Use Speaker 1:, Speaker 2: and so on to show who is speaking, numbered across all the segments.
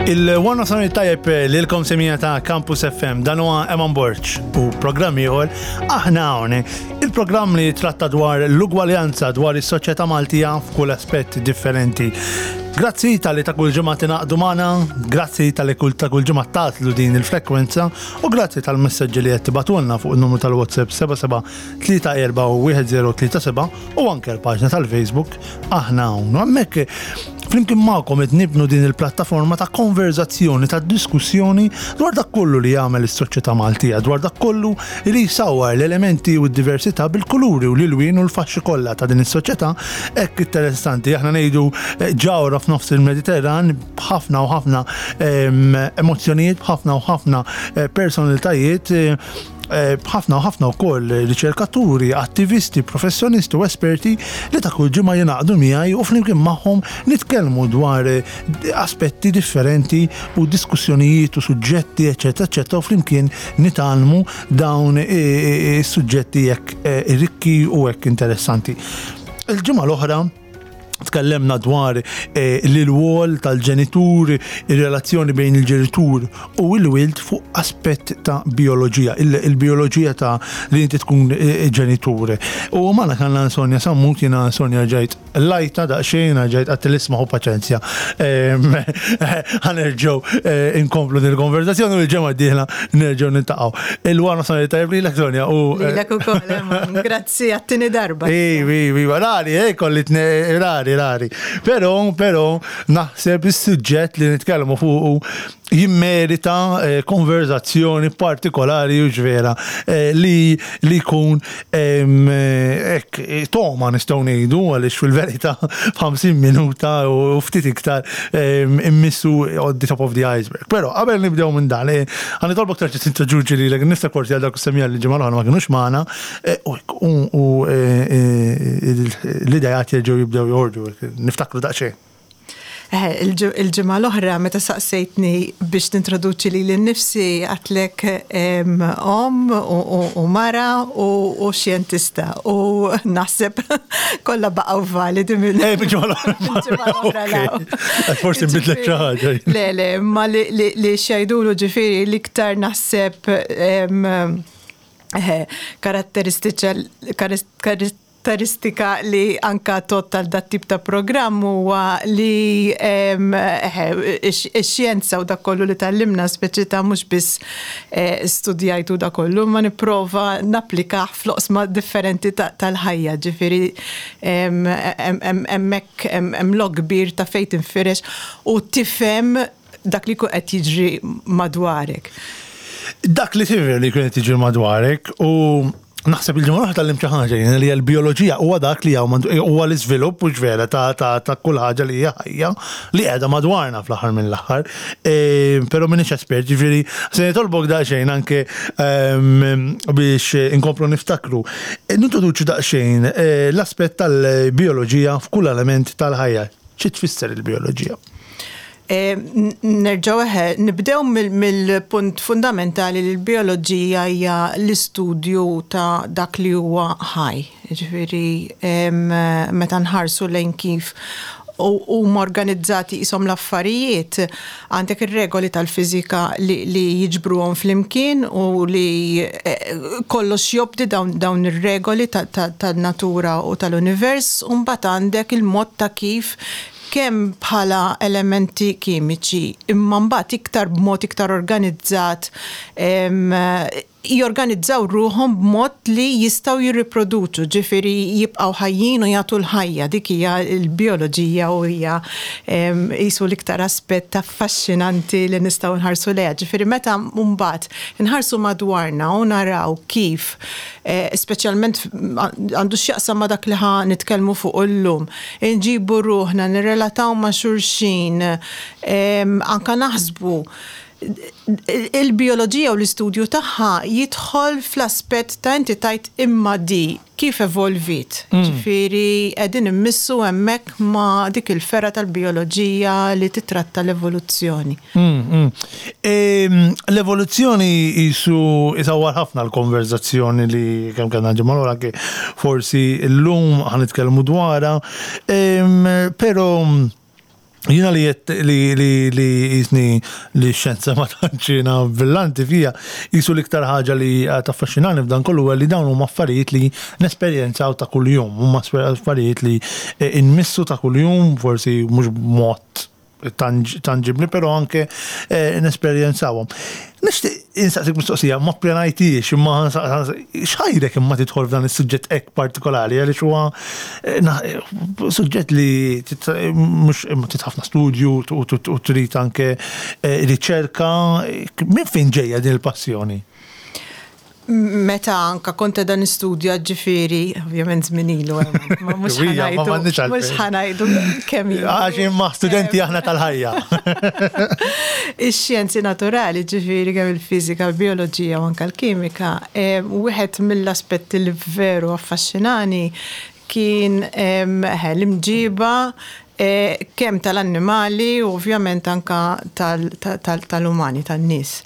Speaker 1: Il-One of Summit tajjeb lilkom semija ta' Campus FM dan huwa Eman Borg u programm ieħor aħna hawn. Il-programm li tratta dwar l-ugwaljanza dwar is-soċjetà Maltija f'kull aspett differenti. Grazzi tal-li ta' kull ġimgħa tingħaqdu magħna, grazzi tal-li kull ta' kull ġimgħa tatlu din il-frekwenza u grazzi tal-messaġġi li qed tibatulna fuq in-numru tal-WhatsApp 77341037 u anke l-paġna tal-Facebook aħna hawn. U hemmhekk flimkien magħkom qed nibnu din il-plattaforma ta' konverzazzjoni, ta' diskussjoni dwar dak kollu li jagħmel is-soċjetà Maltija, dwar dak kollu li jsawwar l-elementi u d-diversità bil-kuluri u l-ilwien u l-faxxi kollha ta' din is-soċjetà hekk interessanti. Aħna ngħidu eh, ġawra f'nofs il-Mediterran b'ħafna u ħafna ehm, emozzjonijiet, b'ħafna u ħafna eh, personalitajiet eh, b'ħafna u ħafna wkoll riċerkaturi, attivisti, professjonisti u esperti li ta' kull ġimgħa jingħaqdu miegħi u flimkien magħhom nitkellmu dwar eh, aspetti differenti u diskussjonijiet u suġġetti, eċetera, eċetera, u flimkien nitgħallmu dawn is-suġġetti hekk rikki u hekk interessanti. Il-ġimgħa l-oħra tkellemna dwar eh, l-wol tal-ġenitur, ir-relazzjoni bejn il-ġenitur u l-wild fuq aspett ta' bioloġija, il-bioloġija ta' li inti tkun eh, ġenitur. U magħna kellna Sonja Sammut, jiena Sonja ġajt lajta daqsxejn, ġajt għat l-isma u paċenzja. Ħanerġgħu eh, inkomplu din il-konverzazzjoni u l-ġemgħa d-dieħla nerġgħu niltaqgħu. Il-wara Sonja tajjeb lilek Sonja u
Speaker 2: eh, Lilek ukoll, grazzi għat-tieni darba.
Speaker 1: Ivi, ivi, rari, eh, kolli rari, rari. Però, però, naħseb is-suġġett li nitkellmu fuqu jimmerita eh, konverzazzjoni partikolari u ġvera eh, li li jkun eh, hekk toma nistgħu ngħidu għaliex fil-verità f'50 minuta u ftit iktar immissu on the top of the iceberg. Però qabel nibdew minn dan, ħa nitolbok terġa' tintroduċi lilek innifsek forsi għal dawk is-semmiegħa li l-ġimgħa l-oħra ma kinux magħna u l-idejat jerġgħu jibdew joħorġu, niftakru daqsxejn.
Speaker 2: Eh, il-ġimgħa l-oħra meta saqsejtni biex nintroduċi lili nnifsi għedtlek omm u mara u xjentista u naħseb kollha baqgħu validi
Speaker 1: minn eh, ġimgħa l-oħra. Forsi nbidlek xi ħaġa.
Speaker 2: Le, le, ma li xjajdulu ġifieri l-iktar naħseb eh, karatteristiċa Karatteristika li anka tgħodd għal dat-tip ta' programm huwa li x-xjenza u dak kollu li tgħallimna speċi ta' mhux biss studjajtu dak kollu imma nipprova napplikah fl-oqsma differenti tal-ħajja. Ġifieri hemmhekk hemm lok kbir ta' fejn tinfirex u tifhem dak li jkun qed jiġri madwarek.
Speaker 1: Dak li tifhem li jkun qed jiġri madwarek u Naħseb il-ġimgħa l-oħra tgħallimt xi ħaġa jien li l-bijoloġija huwa dak li hawn huwa l-iżvilupp mhux vera ta' ta' ta' kull ħaġa li hija ħajja li qiegħda madwarna fl-aħħar mill-aħħar. E, però m'iniex espert, ġifieri se nitolbok daqsxejn anke ehm, biex inkomplu niftakru. E, nintroduċu daqsxejn e, l-aspett tal-bijoloġija f'kull element tal-ħajja. Xi tfisser il-bijoloġija?
Speaker 2: Nerġgħu eħe, nibdew mill-punt fundamentali li l-bijoloġija hija l-istudju ta' dak li huwa ħaj. Jiġifieri meta nħarsu lejn kif huma organizzati qishom l-affarijiet, għandek ir-regoli tal-fiżika li jiġbruhom flimkien u li kollox jobdi dawn ir-regoli tan-natura u tal-univers, u mbagħad għandek il-mod ta' kif kemm bħala elementi kimiċi, imma mbagħad iktar b'mod iktar organizzat jorganizzaw ruħhom b'mod li jistgħu jirriproduċu, ġifieri jibqgħu ħajjin u jagħtu l-ħajja. Dik hija l-bijoloġija u hija qisu l-iktar aspett affaxxinanti li nistgħu nħarsu lejha. Ġifieri meta mbagħad inħarsu madwarna u naraw kif speċjalment għandu x'jaqsam ma' dak li ħa nitkellmu fuqu llum, inġibu ruħna, nirrelataw ma' xulxin, anke naħsbu. Il-bijoloġija u l-istudju tagħha jidħol fl-aspett ta' inti tgħid imma di kif evolviet. Ġifieri qegħdin immissu hemmhekk ma' dik il-fergħa tal-bijoloġija li titratta l-evoluzzjoni.
Speaker 1: L-evoluzzjoni qisu isawwar ħafna l-konverżazzjoni li kemm kellna l-ġimgħa l-oħra anke forsi llum ħa nitkellmu dwarha. Però. Jiena li jett li li li jisni li x-xjenza ma tantx jiena brillanti fija, qisu l-iktar ħaġa li taffaxxinani f'dan kollu huwa li dawn huma affarijiet li nesperjenzaw ta' kuljum, huma affarijiet li nmissu ta' kuljum, forsi mhux b'mod tanġibbli, però anke nesperjenzawhom. Nixtieq insaqsik mistoqsija, ma ppjanajthiex imma x'ħajrek imma tidħol f'dan is-suġġett hekk partikolari għaliex huwa eh, suġġett li mhux imma trid ħafna studju u trid anke eh, riċerka. Minn fejn ġejja din il-passjoni?
Speaker 2: Meta anka kont qiegħda nistudja ġifieri, ovvjament żmien ilu, ma mhux ħanajdu. Mhux ħanajdu kemm ilu.
Speaker 1: Għax imma studenti aħna tal-ħajja.
Speaker 2: Ix-xjenzi naturali, ġifieri kemm il-fiżika, l-bioloġija u anka l-kimika, eh, wieħed mill-aspetti li veru affaxxinani kien eh, l-imġiba eh, kemm tal-annimali u ovvjament anka tal-umani, tan-nies.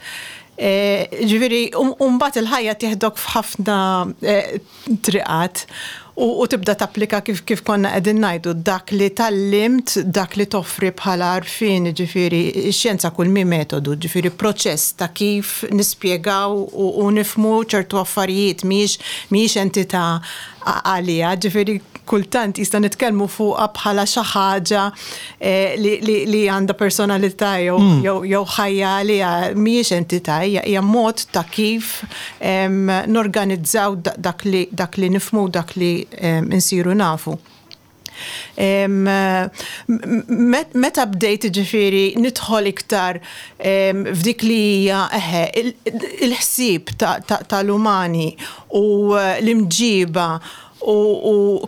Speaker 2: Ġifieri, u mbagħad il-ħajja tieħdok f'ħafna triqat u tibda tapplika kif kif konna qegħdin ngħidu dak li tgħallimt, dak li toffri bħala għarfien, jiġifieri x-xjenza kull mhi metodu, ġifieri proċess ta' kif nispjegaw u nifhmu ċertu affarijiet mhijiex mhijiex entità għaliha, ġifieri kultant jista' nitkellmu fuqha bħala xi ħaġa eh, li għandha personalità jew mm. ħajja għaliha mhijiex entità, hija mod ta' kif norganizzaw dak li dak li nifhmu dak li nsiru nafu. Meta bdejt ġifieri nidħol iktar f'dik li hija eħe il-ħsieb tal-umani u l-imġiba u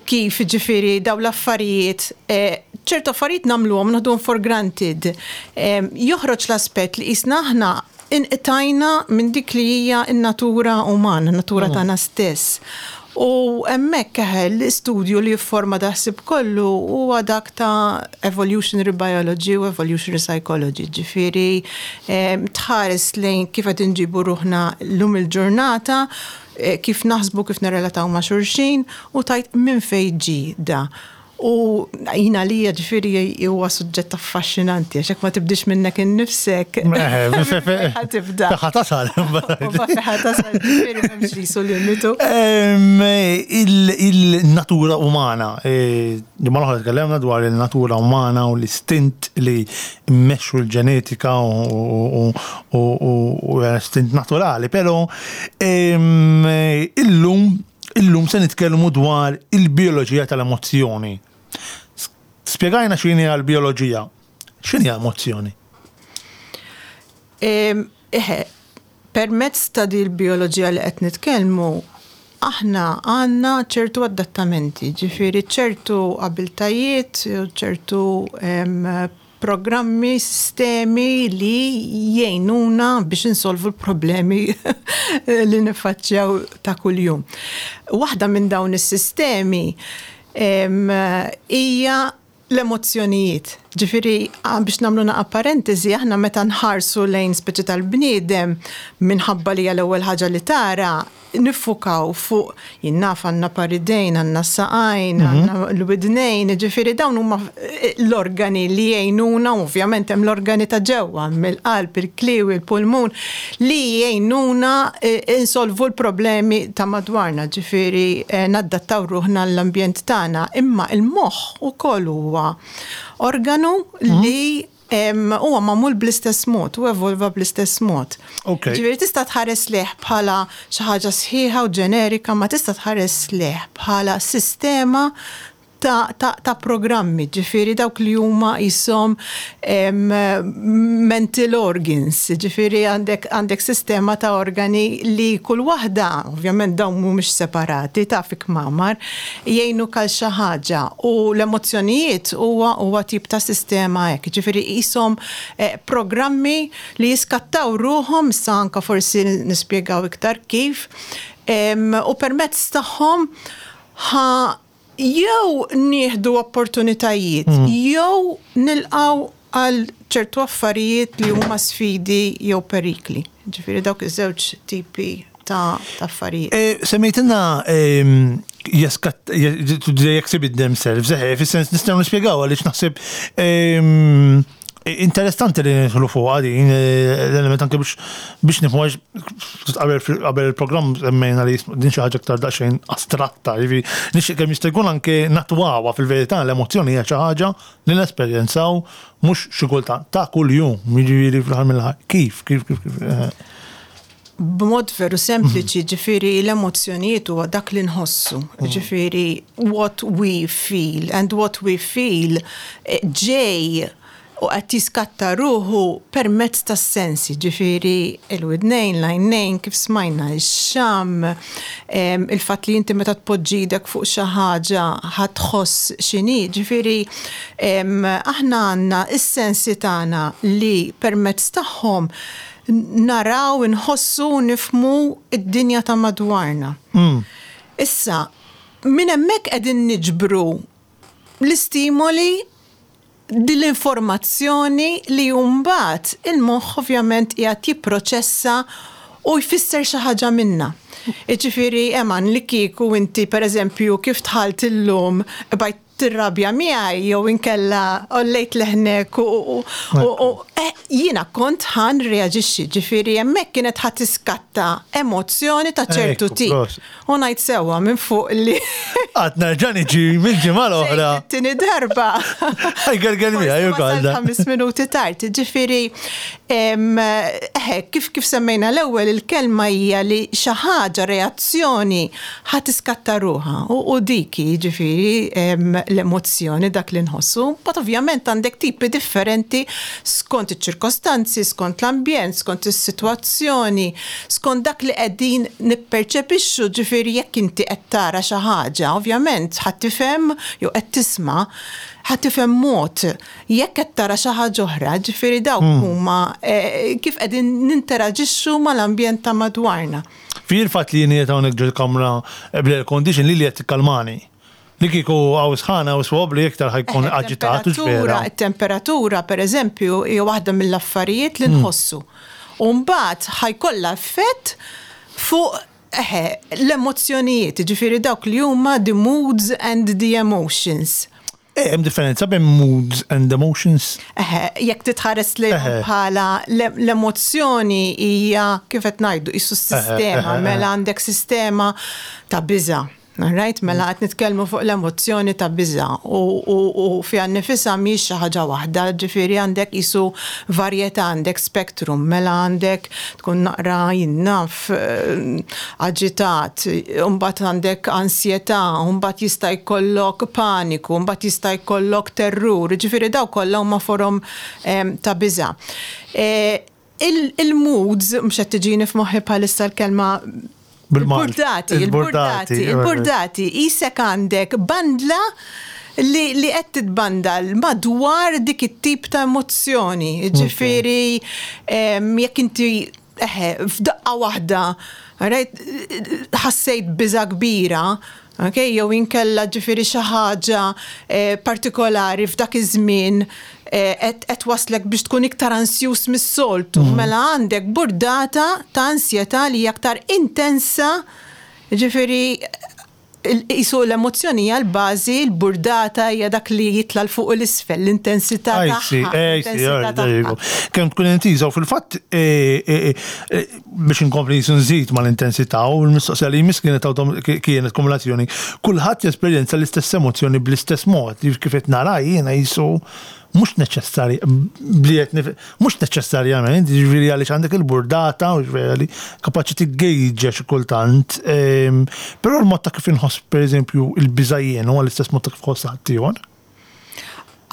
Speaker 2: kif ġifieri dawn l-affarijiet ċertu affarijiet nagħmluhom naħduhom for granted. Joħroġ l-aspett li qisna aħna inqtajna minn dik li hija n-natura umana, n-natura tagħna stess. U hemmhekk eħe l-istudju li jifforma dal-ħsieb kollu huwa dak ta' evolutionary biology u evolutionary psychology, ġifieri tħares lejn kif qed inġibu ruħna llum il-ġurnata, kif naħsbu, kif nirrelataw ma' xulxin u tgħid minn fejn ġie da. U jien għalija ġifieri huwa suġġett affaxxinanti għax jekk ma tibdix minnek innifsek.
Speaker 1: Ħa tibda. Ħa tasal.
Speaker 2: Ħa tasal ġifieri m'hemmx qisu limitu.
Speaker 1: Il-natura umana, ġimgħa l-oħra tkellimna dwar il-natura umana u l-istint li mmexxu l-ġenetika u l-istint naturali, però illum Illum se nitkellmu dwar il-bijoloġija tal-emozzjoni. Spjegajna x'inhi l-bijoloġija. X'inhi emozzjoni?
Speaker 2: Eħe, permezz ta' din il-bijoloġija li qed nitkellmu, aħna għandna ċertu adattamenti, ġifieri ċertu abiltajiet, ċertu programmi, sistemi li jgħinuna biex insolvu l-problemi li niffaċċjaw ta' kuljum. Waħda minn dawn is-sistemi hija l-emozzjonijiet. Ġifieri, biex nagħmlu naqa' parentesi, aħna meta nħarsu lejn speċi tal-bniedem minħabba li hija l-ewwel ħaġa li tara, niffukaw fuq, jien naf għandna par idejn, għandna s-saqajn, għandna l-widnejn, jiġifieri dawn huma l-organi li jgħinuna, u ovvjament hemm l-organi ta' ġewwa, mill-qalb, il-kliewi, il-pulmun, li jgħinuna insolvu l-problemi ta' madwarna, ġifieri naddattaw ruħna għall-ambjent tagħna. Imma l-moħħ ukoll huwa organu li Huwa magħmul bl-istess mod u evolva bl-istess mod. Ġifieri tista' tħares lejh bħala xi ħaġa sħiħa u ġenerika, ma tista' tħares lejh bħala sistema ta', ta, ta' programmi, ġifieri dawk li huma qishom mental organs, ġifieri għandek, għandek sistema ta' organi li kull waħda, ovvjament dawn mhumiex separati, taf kmamar, jgħinuk għal xi ħaġa u l-emozzjonijiet huwa huwa tip ta' sistema hekk, jiġifieri qishom programmi li jiskattaw ruħhom, issa anke forsi nispjegaw iktar kif, u permezz tagħhom ħa jew nieħdu opportunitajiet jew nilqgħu għal ċertu affarijiet li huma sfidi jew perikli. Ġifieri dawk iż-żewġ tipi ta' affarijiet.
Speaker 1: Semmejtilna Jeskat, they exhibit themselves, eħe, fis-sens nistgħu nispjegaw għaliex naħseb ehm, interessanti li nidħlu fuqha din eh, l-element anke biex biex nifhmu għax qabel qabel il-programm semmejna li din xi ħaġa aktar daqsxejn astratta, jiġifieri nixtieq kemm jista' jkun anke natwawha fil-verità l-emozzjoni hija xi ħaġa li nesperjenzaw mhux xi kultant ta' kuljum, jiġifieri fl-aħħar mill-aħħar. Kif, kif, kif, kif. Eh.
Speaker 2: B'mod veru sempliċi, ġifieri l-emozzjonijiet huwa dak li nħossu. Ġifieri what we feel and what we feel eh, ġej u qed jiskatta ruħu permezz tas-sensi, ġifieri il-widnejn, l-għajnejn, kif smajna, ix-xamm, il-fatt li inti meta tpoġġi idek fuq xi ħaġa ħa tħoss x'inhi, ġifieri aħna għandna s-sensi tagħna li permezz tagħhom naraw, inħossu u nifhmu d-dinja ta' madwarna. Issa, minn hemmhekk qegħdin niġbru l-istimoli, din l-informazzjoni li mbagħad il-moħħ ovvjament qiegħed jipproċessa u jfisser xi ħaġa minnha. Jiġifieri, Eman, li kieku inti pereżempju kif dħalt illum bqajt tirrabja miegħi jew inkella għollejt leħnek u eh, jiena kont ħa nirreaġixxi, ġifieri hemmhekk kienet ħa tiskatta emozzjoni ta' ċertu tip. U ngħid sewwa minn fuq li.
Speaker 1: Qatt nerġa' niġi mill-ġimgħa l-oħra.
Speaker 2: Tieni darba.
Speaker 1: Ħajgerger miegħi
Speaker 2: ukoll. Ħames minuti tard, ġifieri eħe kif kif semmejna l-ewwel il-kelma hija li xi ħaġa reazzjoni ħa tiskatta ruħha u dik hi jiġifieri l-emozzjoni dak li nħossu. Mbagħad ovvjament għandek tipi differenti skont iċ-ċirkostanzi, skont l-ambjent, skont is-sitwazzjoni, skont dak li qegħdin nipperċepixxu, ġifieri jekk inti qed tara xi ħaġa, ovvjament ħa tifhem jew qed tisma' ħa tifhem mod jekk qed tara xi ħaġa oħra, ġifieri dawk huma kif qegħdin ninteraġixxu mal-ambjent ta' madwarna.
Speaker 1: Fi il-fatt li jien qiegħed hawnhekk ġol-kamra bl-air condition lili qed tikkalmani. Li kieku hawn sħana hawn swabbli iktar ħa jkun aġitat hux vera?
Speaker 2: It-temperatura pereżempju hija waħda mill-affarijiet li nħossu. U mbagħad ħa jkollha effett fuq eħe l-emozzjonijiet, jiġifieri dawk li huma the moods and the emotions.
Speaker 1: Eh, hemm differenza bejn moods and emotions?
Speaker 2: Eħe, jekk titħares li bħala l-emozzjoni hija kif qed ngħidu qisu s-sistema, mela għandek sistema ta' biża'. Right? Mela qed nitkellmu fuq l-emozzjoni ta' biża' u fiha nnifisha mhijiex xi ħaġa waħda, ġifieri għandek qisu varjetà, għandek spectrum, mela għandek tkun naqra jien naf aġitat, imbagħad għandek ansjetà, imbagħad jista' jkollok paniku, imbagħad jista' jkollok terrur, jiġifieri dawk kollha huma forom ta' biża'. Il-moods, mhux qed tiġini f'moħħi bħalissa l-kelma
Speaker 1: Il-burdati,
Speaker 2: il-burdati, il-burdati, qisek għandek bandla li li qed titbandal madwar dik it-tip ta' emozzjoni. Ġifieri jekk inti eħe, f'daqqa waħda, right, ħassejt biża' kbira, okay, jew inkella ġifieri xi ħaġa eh, partikolari f'dak iż-żmien eh, qed waslek biex tkun iktar ansjuż mis-soltu. Mm. Mela għandek burdata ta' ansjetà li hija aktar intensa, ġifieri Qisu l-emozzjoni hija l-bażi, l-burdata hija dak li jitla' 'l fuq u 'l isfel, l-intensità tagħha.
Speaker 1: Kemm tkun intiża u fil-fatt biex inkompli qisu nżid mal-intensità u l-mistoqsija li jmiss kienet kienet kumulazzjoni. Kulħadd jesperjenza l-istess emozzjoni bl-istess mod, kif qed nara jiena qisu Mhux neċessarja, bli qed nif, mhux neċessarjament, jiġifieri għaliex għandek il-burdata, u jiġifieri li kapaċi tiggejġa xi kultant, ehm, però l-mod ta' kif inħoss pereżempju il-biża' jien huwa l-istess mod ta' kif ħoss ħaddieħor.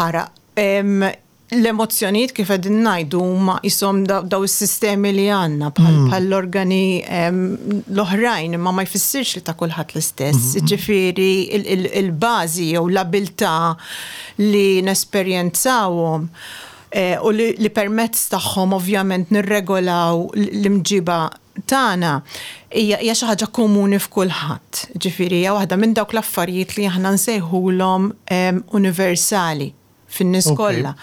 Speaker 2: Ara, ehm, l-emozzjonijiet kif qegħdin ngħidu huma qishom daw is-sistemi li għandna bħal mm. l-organi ehm, l-oħrajn imma ma jfissirx li ta' kulħadd l-istess. Mm-hmm. Ġifieri il-bażi jew l-abilità li nesperjenzawhom u li permezz tagħhom ovvjament nirregolaw l-imġiba tagħna hija hija xi ħaġa komuni f'kulħadd. Ġifieri hija waħda minn dawk l-affarijiet li aħna nsejħulhom universali fin-nies kollha.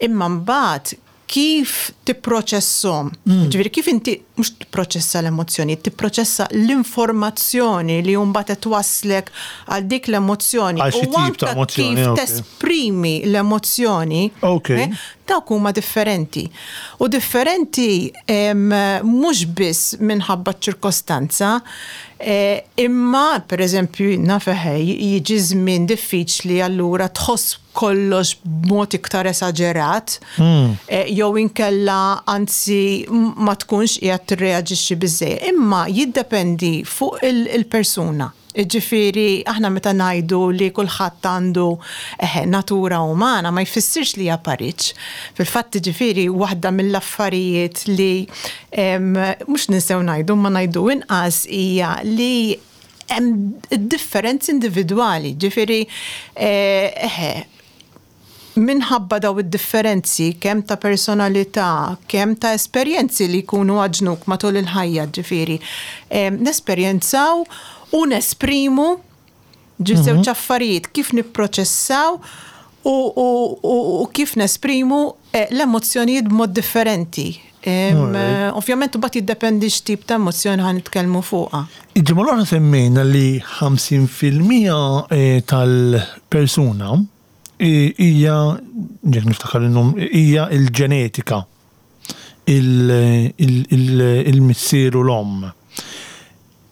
Speaker 2: Imma mbagħad kif tipproċesshom, ġifieri kif inti mhux tipproċessa l-emozzjoni, tipproċessa l-informazzjoni li mbagħad qed twasslek għal dik l-emozzjoni.
Speaker 1: Għal xi tip ta' emozzjoni.
Speaker 2: Kif tesprimi l-emozzjoni. Dawk huma differenti. U differenti mhux biss minħabba ċ-ċirkostanza, imma pereżempju naf eħe jiġi żmien diffiċli allura tħoss kollox b'mod iktar esaġerat, jew inkella anzi ma tkunx qiegħed tirreaġixxi biżżejjed. Imma jiddependi fuq il-persuna. Jiġifieri aħna meta ngħidu li kulħadd għandu, eħe, natura umana ma jfissirx li hija pariġġ. Fil-fatt jiġifieri waħda mill-affarijiet li mhux ninsew ngħidu imma ngħidu inqas hija li hemm id-differenzi individwali. Ġifieri, eħe, minħabba daw id-differenzi kemm ta' personalità, kemm ta' esperjenzi li jkunu għaġnuk matul il-ħajja, ġifieri, nesperjenzaw u nesprimu ġi żewġ affarijiet, kif nipproċessaw u, u, u, u kif nesprimu l-emozzjonijiet b'mod differenti. Ovvjament imbagħad jiddependi x'tip ta' emozzjoni ħa nitkellmu fuqha.
Speaker 1: Il-ġimgħa l-oħra semmejna li 50% tal-persuna hija, jekk niftakar innum, hija l-ġenetika, il-missier u l-omm.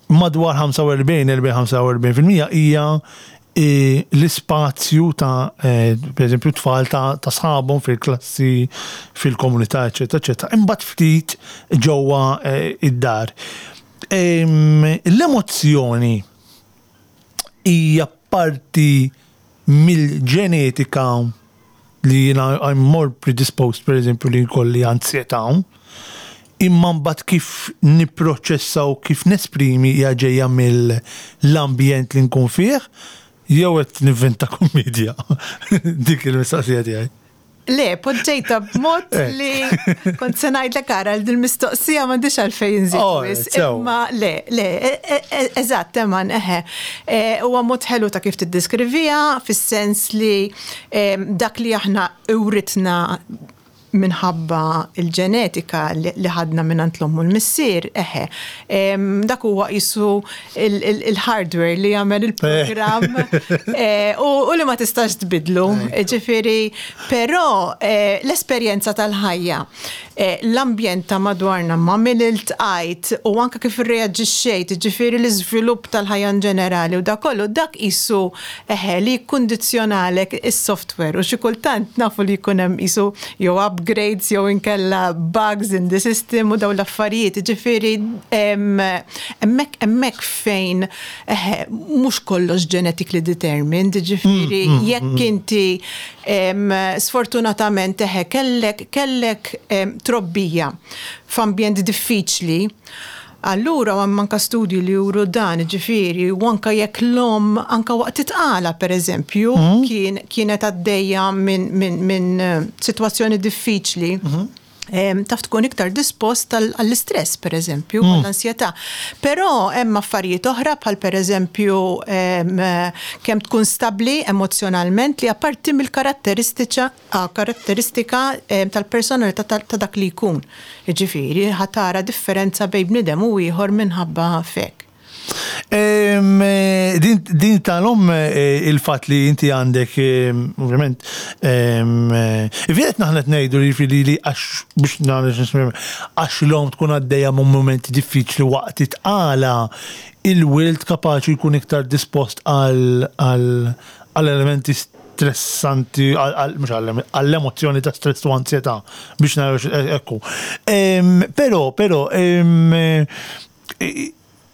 Speaker 1: Madwar 45-45% hija l-ispazju ta' per eżempju tfal ta' sħabhom fil-klassi, fil-komunità, eċetera, eċetera. Imbagħad ftit ġewwa id-dar. L-emozzjoni hija parti mill-ġenetika li jiena I'm more predisposed per eżempju li jkolli anzjetà, imma mbagħad kif nipproċessa u kif nesprimi hija ġejja mill-ambjent li nkun fih, jew qed nivvinta kummedja? Dik il-mistoqsija tiegħi.
Speaker 2: Le, poġġejta b'mod eh. li kont se ngħidlek ara l mistoqsija m'għandix għalfejn nżid oh, wisq. Imma le, le, e, e, e, eżatt, eman, eħe. Huwa mod ħelu ta' kif tiddeskrivija fis-sens li dak li aħna uritna minħabba il-ġenetika li ħadna minn l-omm u l-missier, eħe. Dak huwa qisu il-hardware li jagħmel il-programm eh, u li ma tistax tbidlu. Ġifieri, però eh, l-esperjenza tal-ħajja, eh, l-ambjent ta' madwarna ma' min iltqajt u anke kif irreaġixxejt, ġifieri l-iżvilupp tal-ħajja in ġenerali u dak kollu, dak qisu eħe li jikkundizzjonalek is-software u xi kultant nafu li jkun hemm qisu jew upgrades jew inkella bugs in the system u dawn l-affarijiet, ġifieri hemmhekk hemmhekk fejn eħe mhux kollox genetically determined, ġifieri mm, mm, jekk mm. inti sfortunatament eħe kellek kellek trobbija f'ambjent diffiċli, Allura u hemm anke studji li juru dan, jiġifieri, u anke jekk l-omm anke waqt it-tqala pereżempju kien kienet għaddejja minn minn minn sitwazzjoni diffiċli, taf tkun iktar dispost għall-istress pereżempju, għall-ansjetà. Però hemm affarijiet oħra bħal pereżempju kemm tkun stabbli emozzjonalment li apparti mill-karatteristiċa karatteristika tal-personalità ta' dak li jkun. Jiġifieri, ħa tara differenza bejn bniedem u ieħor minħabba f'hekk.
Speaker 1: Din tal-omm il-fatt li inti għandek, ovvjament, vjet naħna qed ngħidu li jiġifieri li għax biex nagħmel għax l-omm tkun għaddejja minn mumenti diffiċli waqt it-tqala, il-wild kapaċi jkun iktar dispost għal elementi stressanti, mhux għall-emozzjoni ta' stress u ansjetà biex naraw ekku. Però, però,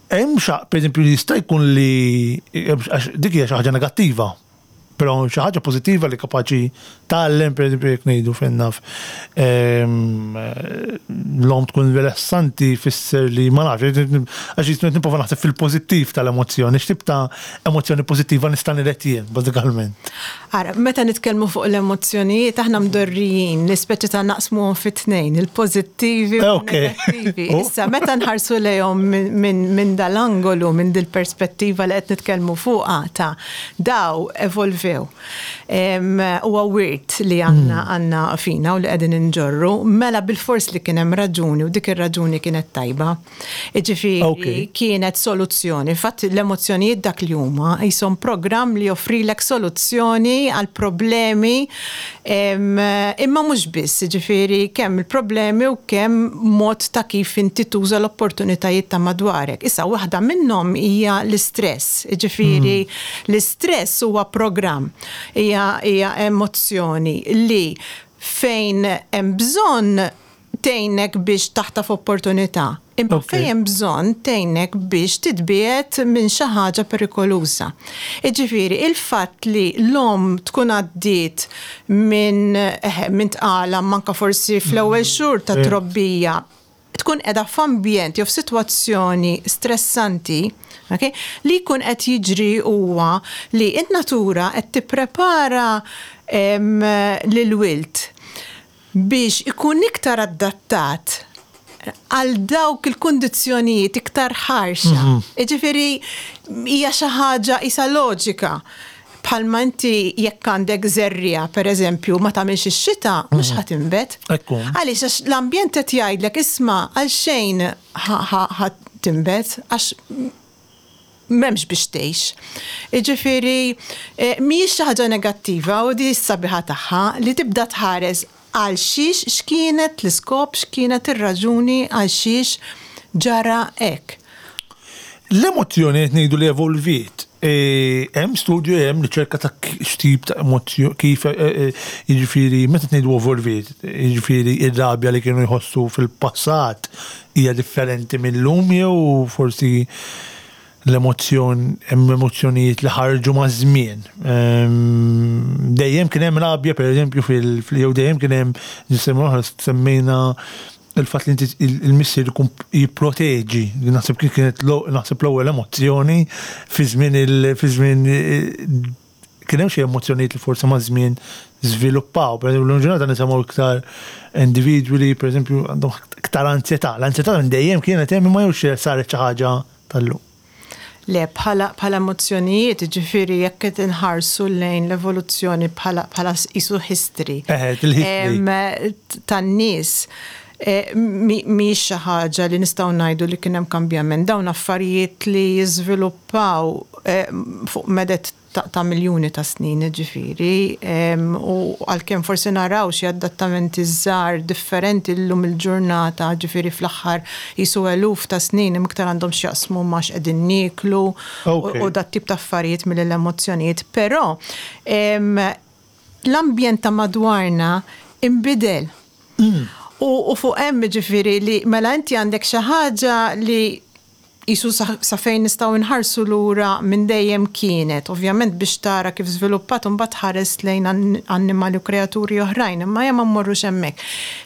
Speaker 1: hemm xa, per eżempju, jista' jkun li dik hija xi ħaġa negattiva. Però xi ħaġa pożittiva li kapaċi tgħallem, per eżempju, jekk ngħidu fejn naf l-omm tkun rilassanti fisser li ma nafx, għax jisnu nipprova naħseb fil-pożittiv tal-emozzjoni, x'tip ta' emozzjoni pożittiva nista' niret jien, bażikalment.
Speaker 2: Ara, meta nitkellmu fuq l-emozzjonijiet, aħna mdorrijin li speċi ta' naqsmuhom fi tnejn, il-pożittivi u n-negattivi. Oh. Issa, meta nħarsu lejhom minn dal-angolu, minn dil-perspettiva li qed nitkellmu fuqha ta' daw evolvew. evolvew. Huwa wirt li għandna hmm. għandna fina u li qegħdin inġorru, mela bil-fors li kien hemm raġuni u dik ir-raġuni kienet tajba. Jiġifieri kienet soluzzjoni. Infatti l-emozzjonijiet dak li huma jisom programm li joffrilek soluzzjoni għal problemi imma mhux biss, jiġifieri kemm il-problemi u kemm mod ta' kif inti tuża l-opportunitajiet ta' madwarek. Issa waħda minnhom hija l-istress, jiġifieri hmm. l-istress huwa programm, hija emozzjoni li fejn hemm bżonn tgħinek biex taħtaf opportunità, imma fejn hemm bżonn tgħinek biex titbiegħed minn xi ħaġa perikoluża. Jiġifieri, il-fatt li l-omm tkun għaddiet minn, eħe, minn tqala imma anke forsi fl-ewwel xhur ta' trobbija, tkun qiegħda f'ambjent jew f'sitwazzjoni stressanti, okay, li jkun qed jiġri huwa li n-natura qed tipprepara lill-wild biex ikun iktar adattat għal dawk il-kundizzjonijiet iktar ħarxa. Mhm. Jiġifieri hija xi ħaġa isa loġika. Bħalma inti jekk għandek żerriegħa, pereżempju, ma tagħmilx ix-xita, mhux mhm. ħa tinbet. Għaliex għax l-ambjent qed jgħidlek isma' għalxejn ħa tinbet għax m'hemmx biex tgħix. Jiġifieri mhijiex xi ħaġa negattiva u di s-sabiħa tagħha li tibda tħares għal xiex, x'kienet l-iskop, x'kienet ir-raġuni għal xiex ġara hekk.
Speaker 1: L-emozzjoni qed ngħidu li evolviet. Hemm studju hemm riċerka ta' x'tip ta' emozzjoni kif jiġifieri meta ngħidu evolviet, jiġifieri r-rabja li kienu jħossu fil-passat hija differenti mil-lum jew forsi l-emozzjon hemm emozzjonijiet li ħarġu maż-żmien. Dejjem kien hemm rabja pereżempju fil jew dejjem kien hemm ġisem oħra semmejna il-fatt li inti il-missier ikun jipproteġi, li naħseb kienet naħseb l-ewwel emozzjoni fi żmien il fi żmien kien hemm xi emozzjonijiet li forsi maż-żmien żviluppaw. Per eżempju, l-ġurnata nisimgħu iktar individwi li pereżempju għandhom iktar ansjetà. L-ansjetà minn dejjem kienet hemm imma jew saret xi ħaġa tal-lum.
Speaker 2: Le, bħala bħala emozzjonijiet, jiġifieri jekk qed inħarsu lejn l-evoluzzjoni bħala bħala qisu history.
Speaker 1: Eħe, il-history.
Speaker 2: Tan-nies, mhijiex xi ħaġa li nistgħu ngħidu li kien hemm kambjament. Dawn affarijiet li jiżviluppaw fuq meded ta' miljuni ta' snin, jiġifieri, u għalkemm forsi naraw xi adattamenti żgħar differenti llum il-ġurnata, jiġifieri fl-aħħar qisu eluf ta' snin imma iktar għandhom x'jaqsmu ma' x'qegħdin nieklu u dat-tip ta' affarijiet milli l-emozzjonijiet. Però l-ambjent ta' madwarna inbidel. U fuq hemm jiġifieri li mela inti għandek xi ħaġa li Qisu sa fejn nistgħu nħarsu lura minn dejjem kienet. Ovvjament biex tara kif żviluppat imbagħad tħares lejn annimali u kreaturi oħrajn, imma ejja ma mmorrux hemmhekk.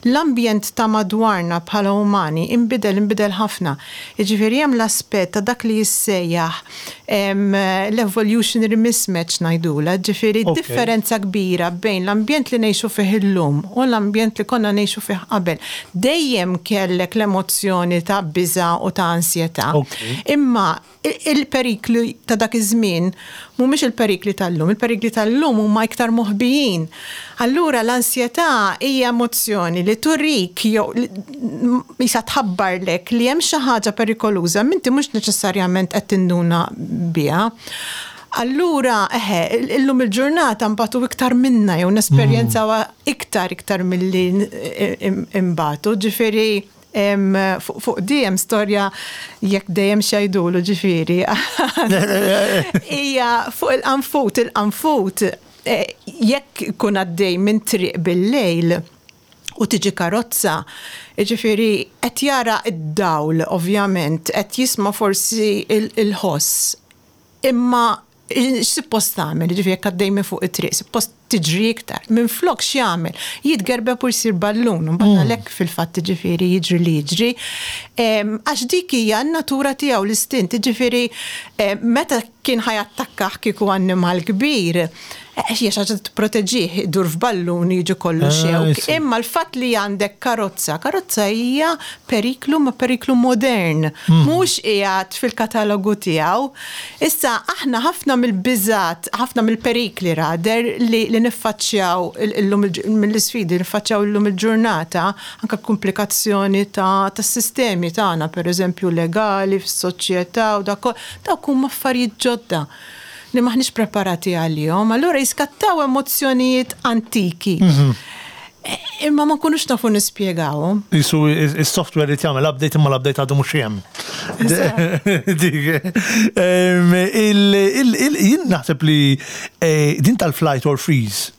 Speaker 2: L-ambjent ta' madwarna bħala umani inbidel, inbidel ħafna. Jiġifieri hemm l-aspett ta' dak li jissejjaħ l-evolutionary mismatch ngħidulha, ġifieri differenza kbira bejn l-ambjent li ngħixu fih illum u l-ambjent li konna ngħixu fih qabel. Dejjem kellek l-emozzjoni ta' biża' u ta' ansjetà, imma il-perikli ta' dak iż-żmien mhumiex il-perikli tal-lum, il-perikli tal-lum huma iktar moħbijin. Allura l-ansjetà hija emozzjoni li turik jew qisha tħabbarlek li hemm xi ħaġa perikoluża imma inti mhux neċessarjament qed tinduna biha. Allura, eħe, illum il-ġurnata nbatu iktar minna jew nesperjenzawha iktar iktar milli nbatu, ġifieri Fuq di hemm storja jekk dejjem x'jgħidulu ġifieri. Hija fuq il-qanfut, il-qanfut eh, jekk ikun għaddej minn triq bil-lejl u tiġi karozza, ġifieri qed jara d-dawl ovvjament, qed jisma' forsi il-ħoss. Imma x'suppost tagħmel, jiġifieri jekk għaddej minn fuq it-triq, suppost tiġri iktar. Minflok x'jagħmel? Jitgerbeb u jsir ballun, mbagħad mm. għalhekk fil-fatt jiġifieri jiġri li jiġri. Għax dik hija n-natura tiegħu l-istint, jiġifieri meta kien ħa jattakkah kieku annimal kbir, eh, hija xi ħaġa tipproteġih, idur f'ballun jiġi kollu ah, xewk. Imma l-fatt li għandek karozza, karozza hija periklu ma periklu modern, hmm. mhux qiegħed fil-katalogu tiegħu. Issa aħna ħafna mill-biżat, ħafna mill-perikli rader li, li niffaċċjaw illum mill-isfidi li niffaċċjaw illum il-ġurnata, anke komplikazzjoni ta' tas-sistemi tagħna, pereżempju legali fis-soċjetà u dak Dawk huma affarijiet ġodda li m'aħniex preparati għalihom, allura jiskattaw emozzjonijiet antiki. Mhm. Imma ma nkunux nafu nispjegawhom.
Speaker 1: Isu is-software li jagħmel update imma l-update għadu mhux hemm. Jien naħseb li eh, din tal-flight or freeze,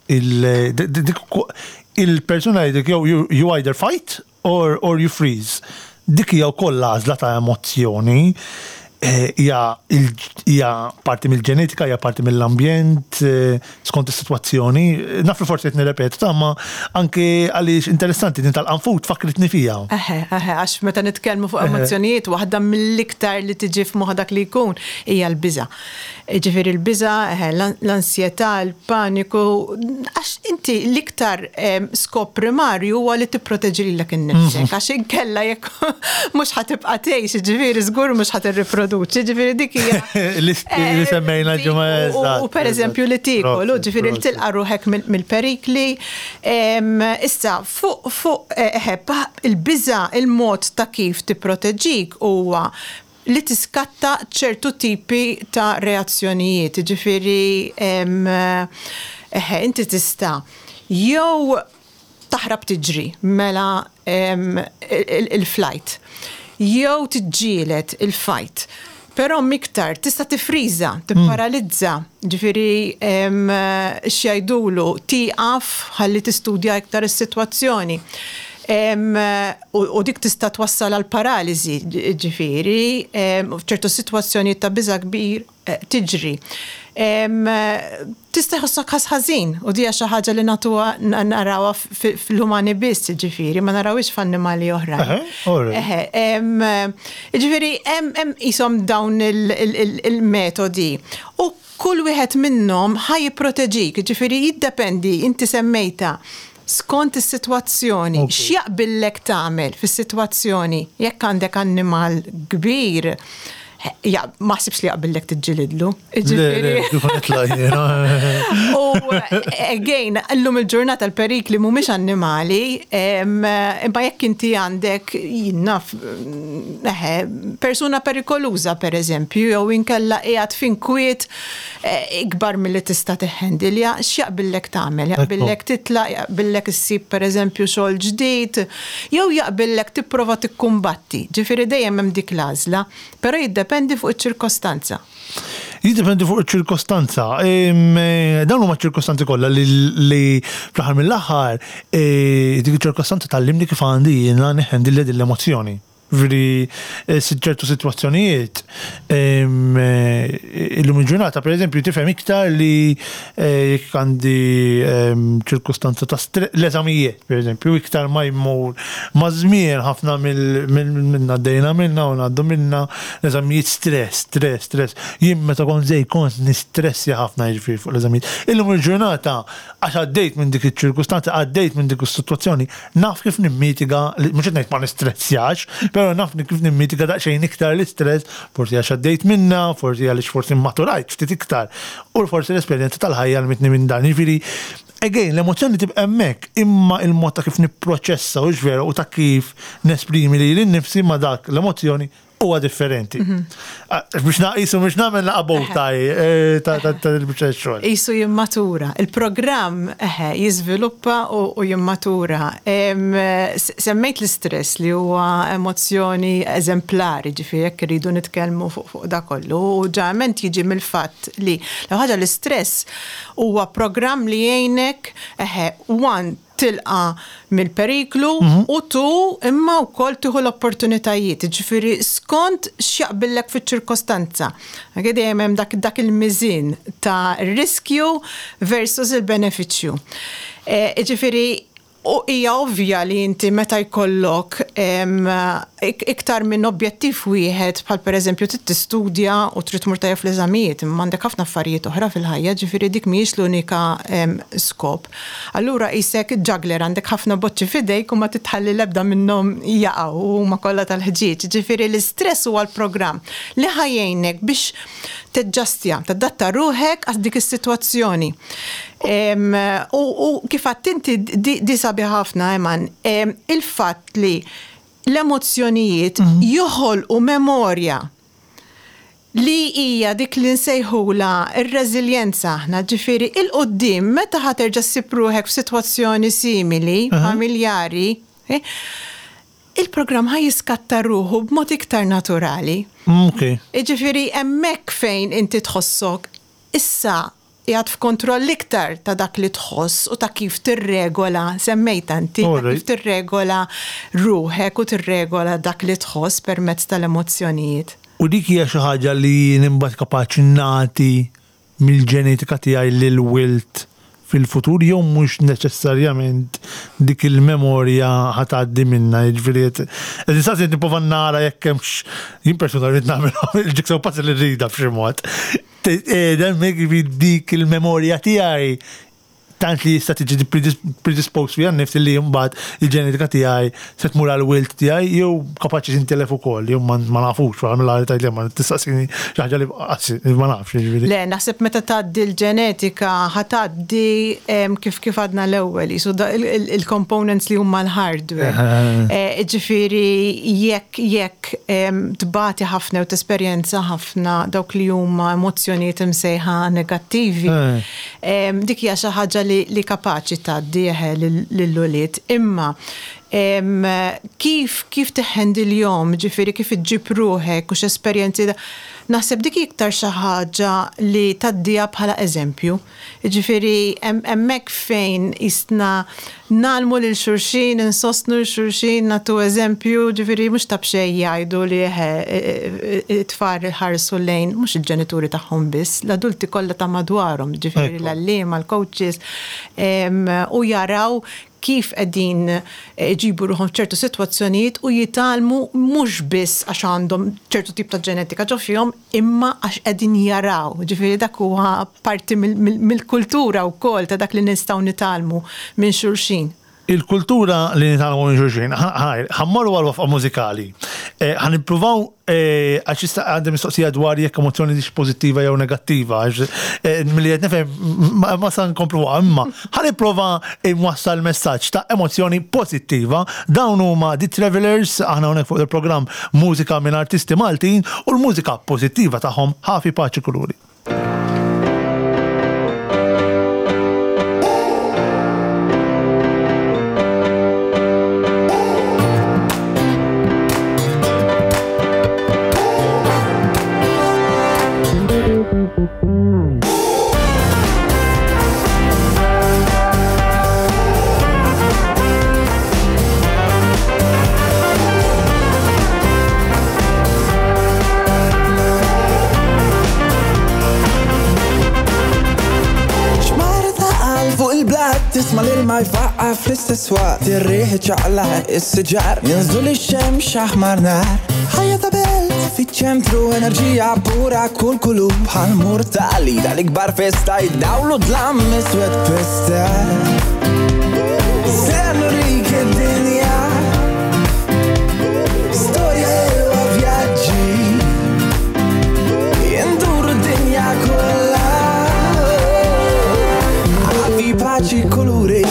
Speaker 1: il-persuna jgħidlek jew you either fight Or, or you freeze. Dik hija wkoll l-għażla ta' emozzjoni. Eh, hija hija parti mill-ġenetika, hija parti mill-ambjent, eh, skont is-sitwazzjoni. Naf li forsi qed nirrepetu ta' ma anke għaliex interessanti din tal-qanfut fakritni fija.
Speaker 2: Eħe, eħe, għax meta nitkellmu fuq emozzjonijiet, waħda mill-iktar li tiġi f'moħħ dak li jkun hija l-biża'. Jiġifieri l-biża', l-ansjetà, il-paniku, għax inti l-iktar skop primarju huwa li tipproteġi lilek innifsek, mhm. għax inkella jekk mhux ħa tibqa' tgħix, jiġifieri żgur mhux ħa tirriproduċi, jiġifieri dik hija.
Speaker 1: Li eh, semmejna ġimgħa.
Speaker 2: U pereżempju li tiekol, ġifieri li tilqa' ruħek mill-perikli. Issa, fuq fuq eh, il-biża' il-mod ta' kif tipproteġik huwa li tiskatta ċertu tipi ta' reazzjonijiet, jiġifieri eħe, inti tista' jew taħrab tiġri, mela il-flight, jew tiġġieled il-fight. Però miktar tista' tifriża, tipparalizza, ġifieri x'jgħidulu tieqaf ħalli tistudja iktar is-sitwazzjoni. U dik tista' twassal għal paraliżi, ġifieri, f'ċertu sitwazzjonijiet ta' biża' kbir tiġri. Tista' jħossok ħass ħażin u di hija xi ħaġa li nagħtuha narawha fl-umani biss, ġifieri, ma narawhiex f'annimali oħrajn. Eħe, ġifieri hemm qishom dawn il-metodi. U kull wieħed minnhom ħa jipproteġik, ġifieri jiddependi, inti semmejtha, skont is-sitwazzjoni, x'jaqbillek tagħmel fis-sitwazzjoni. Jekk għandek annimal kbir, ja, ma ħsibx li jaqbillek tiġġilidlu.
Speaker 1: Ġifieri.
Speaker 2: U again, illum il-ġurnata l-perikli mhumiex annimali, imma jekk inti għandek jinnaf eħe, persuna perikoluża pereżempju, jew inkella qiegħed f'inkwiet eh, ikbar milli tista' tiħħendilja, x'jaqbillek tagħmel? Jaqbillek titlaq, jaqbillek issib pereżempju xogħol ġdid, jew jaqbillek tipprova tikkumbatti. Ġifieri dejjem hemm dik l-għażla, però jiddependi fuq iċ-ċirkostanza.
Speaker 1: Jiddependi fuq iċ-ċirkostanza. Eh, dawn huma ċirkostanzi kollha li fl-aħħar mill-aħħar eh, dik iċ-ċirkostanza tgħallimni kif għandi jiena neħendilja din l-emozzjoni. Ġifieri eh, ċertu sitwazzjonijiet eh, illum il-ġurnata pereżempju tifhem iktar li eh, jekk għandi ċirkustanza ta' l-eżamijiet pereżempju iktar ma jmur ma' żmien ħafna minna għaddejna minna u ngħaddu minna l-eżamijiet stress, stress, stress. Jien meta kont żgħir kont nistressja ħafna jiġifieri fuq l-eżamijiet. Illum il-ġurnata għax għaddejt minn dik iċ-ċirkustanza, għaddejt minn dik is-sitwazzjoni, naf kif nimmitiga, mhux qed ngħid ma nistressjax, però naf kif nimmitiga daqsxejn iktar l-istress, forsi għax għaddejt minnha, forsi għaliex forsi mmaturajt ftit iktar, u forsi l-esperjenza tal-ħajja għallmitni minn dan. Jiġifieri, again, l-emozzjoni tibqa' hemmhekk, imma il-mod ta' kif nipproċessa, hux vera, u ta' kif nesprimi lili nnifsi ma' dak l-emozzjoni huwa differenti. Mhm. Ah, biex naqisu biex nagħmel laqa bowtie eh, ta' il-biċċa xogħol.
Speaker 2: Isu jimmatura. Il-programm eh, jiżviluppa u jimmatura. Semmejt l-istress li huwa emozzjoni eżemplari, ġifieri jekk irridu nitkellmu fuq da kollu. U ġeneralment jiġi mill-fatt li l ħaġa l-istress huwa programm li jgħinek one tilqa' mill-periklu u tu imma wkoll tieħu l-opportunitajiet, jiġifieri skont x'jaqbillek fiċ-ċirkostanza. Anke dejjem hemm dak dak il-miżien ta' riskju versus il-benefiċċju. Jiġifieri U hija ovvja li inti meta jkollok iktar minn objettiv wieħed bħal pereżempju trid tistudja u trid tmur tajjeb fl-eżamijiet, imma għandek ħafna affarijiet oħra fil-ħajja, ġifieri dik mhijiex l-unika skop. Allura qisek juggler għandek ħafna boċċi f'idejk u ma titħalli l-ebda minnhom jaqgħu u huma kollha tal-ħġieġ. Ġifieri l-istress huwa l-programm li ħa jgħinek biex teġġastja, tadatta ruħek għal dik is-sitwazzjoni. U kif għedt inti di sabiħa ħafna, Eman, il-fatt li l-emozzjonijiet joħolqu memorja li hija dik li nsejħula r-reżiljenza aħna, ġifieri 'il quddiem meta ħa terġa' ssib ruħek f'sitwazzjoni simili, familjari, il-programm ħa jiskatta ruħu b'mod iktar naturali. Jiġifieri hemmhekk fejn inti tħossok issa qiegħed f'kontroll iktar ta' dak li tħoss u ta' kif tirregola, semmejtha inti, ta' kif tirregola ruħek u tirregola dak li tħoss permezz tal-emozzjonijiet.
Speaker 1: U dik hija xi ħaġa li jien imbagħad kapaċi nagħti mill-ġenetika tiegħi lill-wild fil-futur jew mhux neċessarjament dik il-memorja ħa tgħaddi minnha, jiġifieri qed qed insaqsi qed nipprova nara jekk hemmx jien personalment nagħmilha il-jigsaw puzzle li rridha b'xi mod. Hemmhekk jiġifieri dik il-memorja tiegħi tant li jista' tiġi predisposed fiha nnifsi li mbagħad il-ġenetika tiegħi se tmur għall-wild tiegħi jew kapaċi tintilef ukoll jew ma nafux mill-għali tgħid li ma tistaqsini xi ħaġa li ma nafx jiġifieri.
Speaker 2: Le, naħseb meta tgħaddi l-ġenetika ħa tgħaddi kif kif għadna l-ewwel qisu il-components li huma l-hardware. Ġifieri jekk jekk tbati ħafna jew tesperjenza ħafna dawk li huma emozzjonijiet imsejħa negattivi, Dik hija xi ħaġa li kapaċi tgħaddi eħe lill-ulied. Imma kif kif tiħħendilhom, ġifieri kif iġġib ruħek u x'esperjenzi, naħseb dik hi iktar xi ħaġa li tgħaddiha bħala eżempju. Jiġifieri hemmhekk fejn qisna Ngħallmu lil xulxin, insostnu lil xulxin, nagħtu eżempju, ġifieri mhux ta' b'xejn jgħidu li eħe it-tfal iħarsu lejn mhux il-ġenituri tagħhom biss, l-adulti kollha ta' madwarhom, ġifieri l-għalliema, l-coaches, u jaraw kif qegħdin iġibu ruħhom f'ċertu sitwazzjonijiet u jitgħallmu mhux biss għax għandhom ċertu tip ta' ġenetika ġo fihom, imma għax qegħdin jaraw, ġifieri dak huwa parti mill-kultura wkoll ta' dak li nistgħu nitgħallmu minn xulxin.
Speaker 1: Il-kultura li nitgħallmu minn xulxin, ħa mmorru għal waqfa mużikali. Ħa nippruvaw għax issa għandi mistoqsija dwar jekk emozzjoni hix pożittiva jew negattiva, għax milli qed nifhem ma sa nkompluha, imma ħa nipprova nwassal messaġġ ta' emozzjoni pożittiva. Dawn huma The Travellers, aħna hawnhekk fuq il-programm Mużika minn artisti Maltin u l-mużika pożittiva tagħhom Ħafi Paċi Kuluri.
Speaker 3: Tisma l-ilma jfaqqa fl-istess waqt Ir-riħ iċaqlaq is-siġar Jinżlu lix-xemx aħmar nar Ħajja ta' belt fiċ-ċentru enerġija pura kull kulur Bħal murtali tal-ikbar festa Id-dawl u dlam iswed pesta Se nurik id-dinja Storja ħelwa vjaġġi Induru d-dinja kollha Ħafi paċi kuluri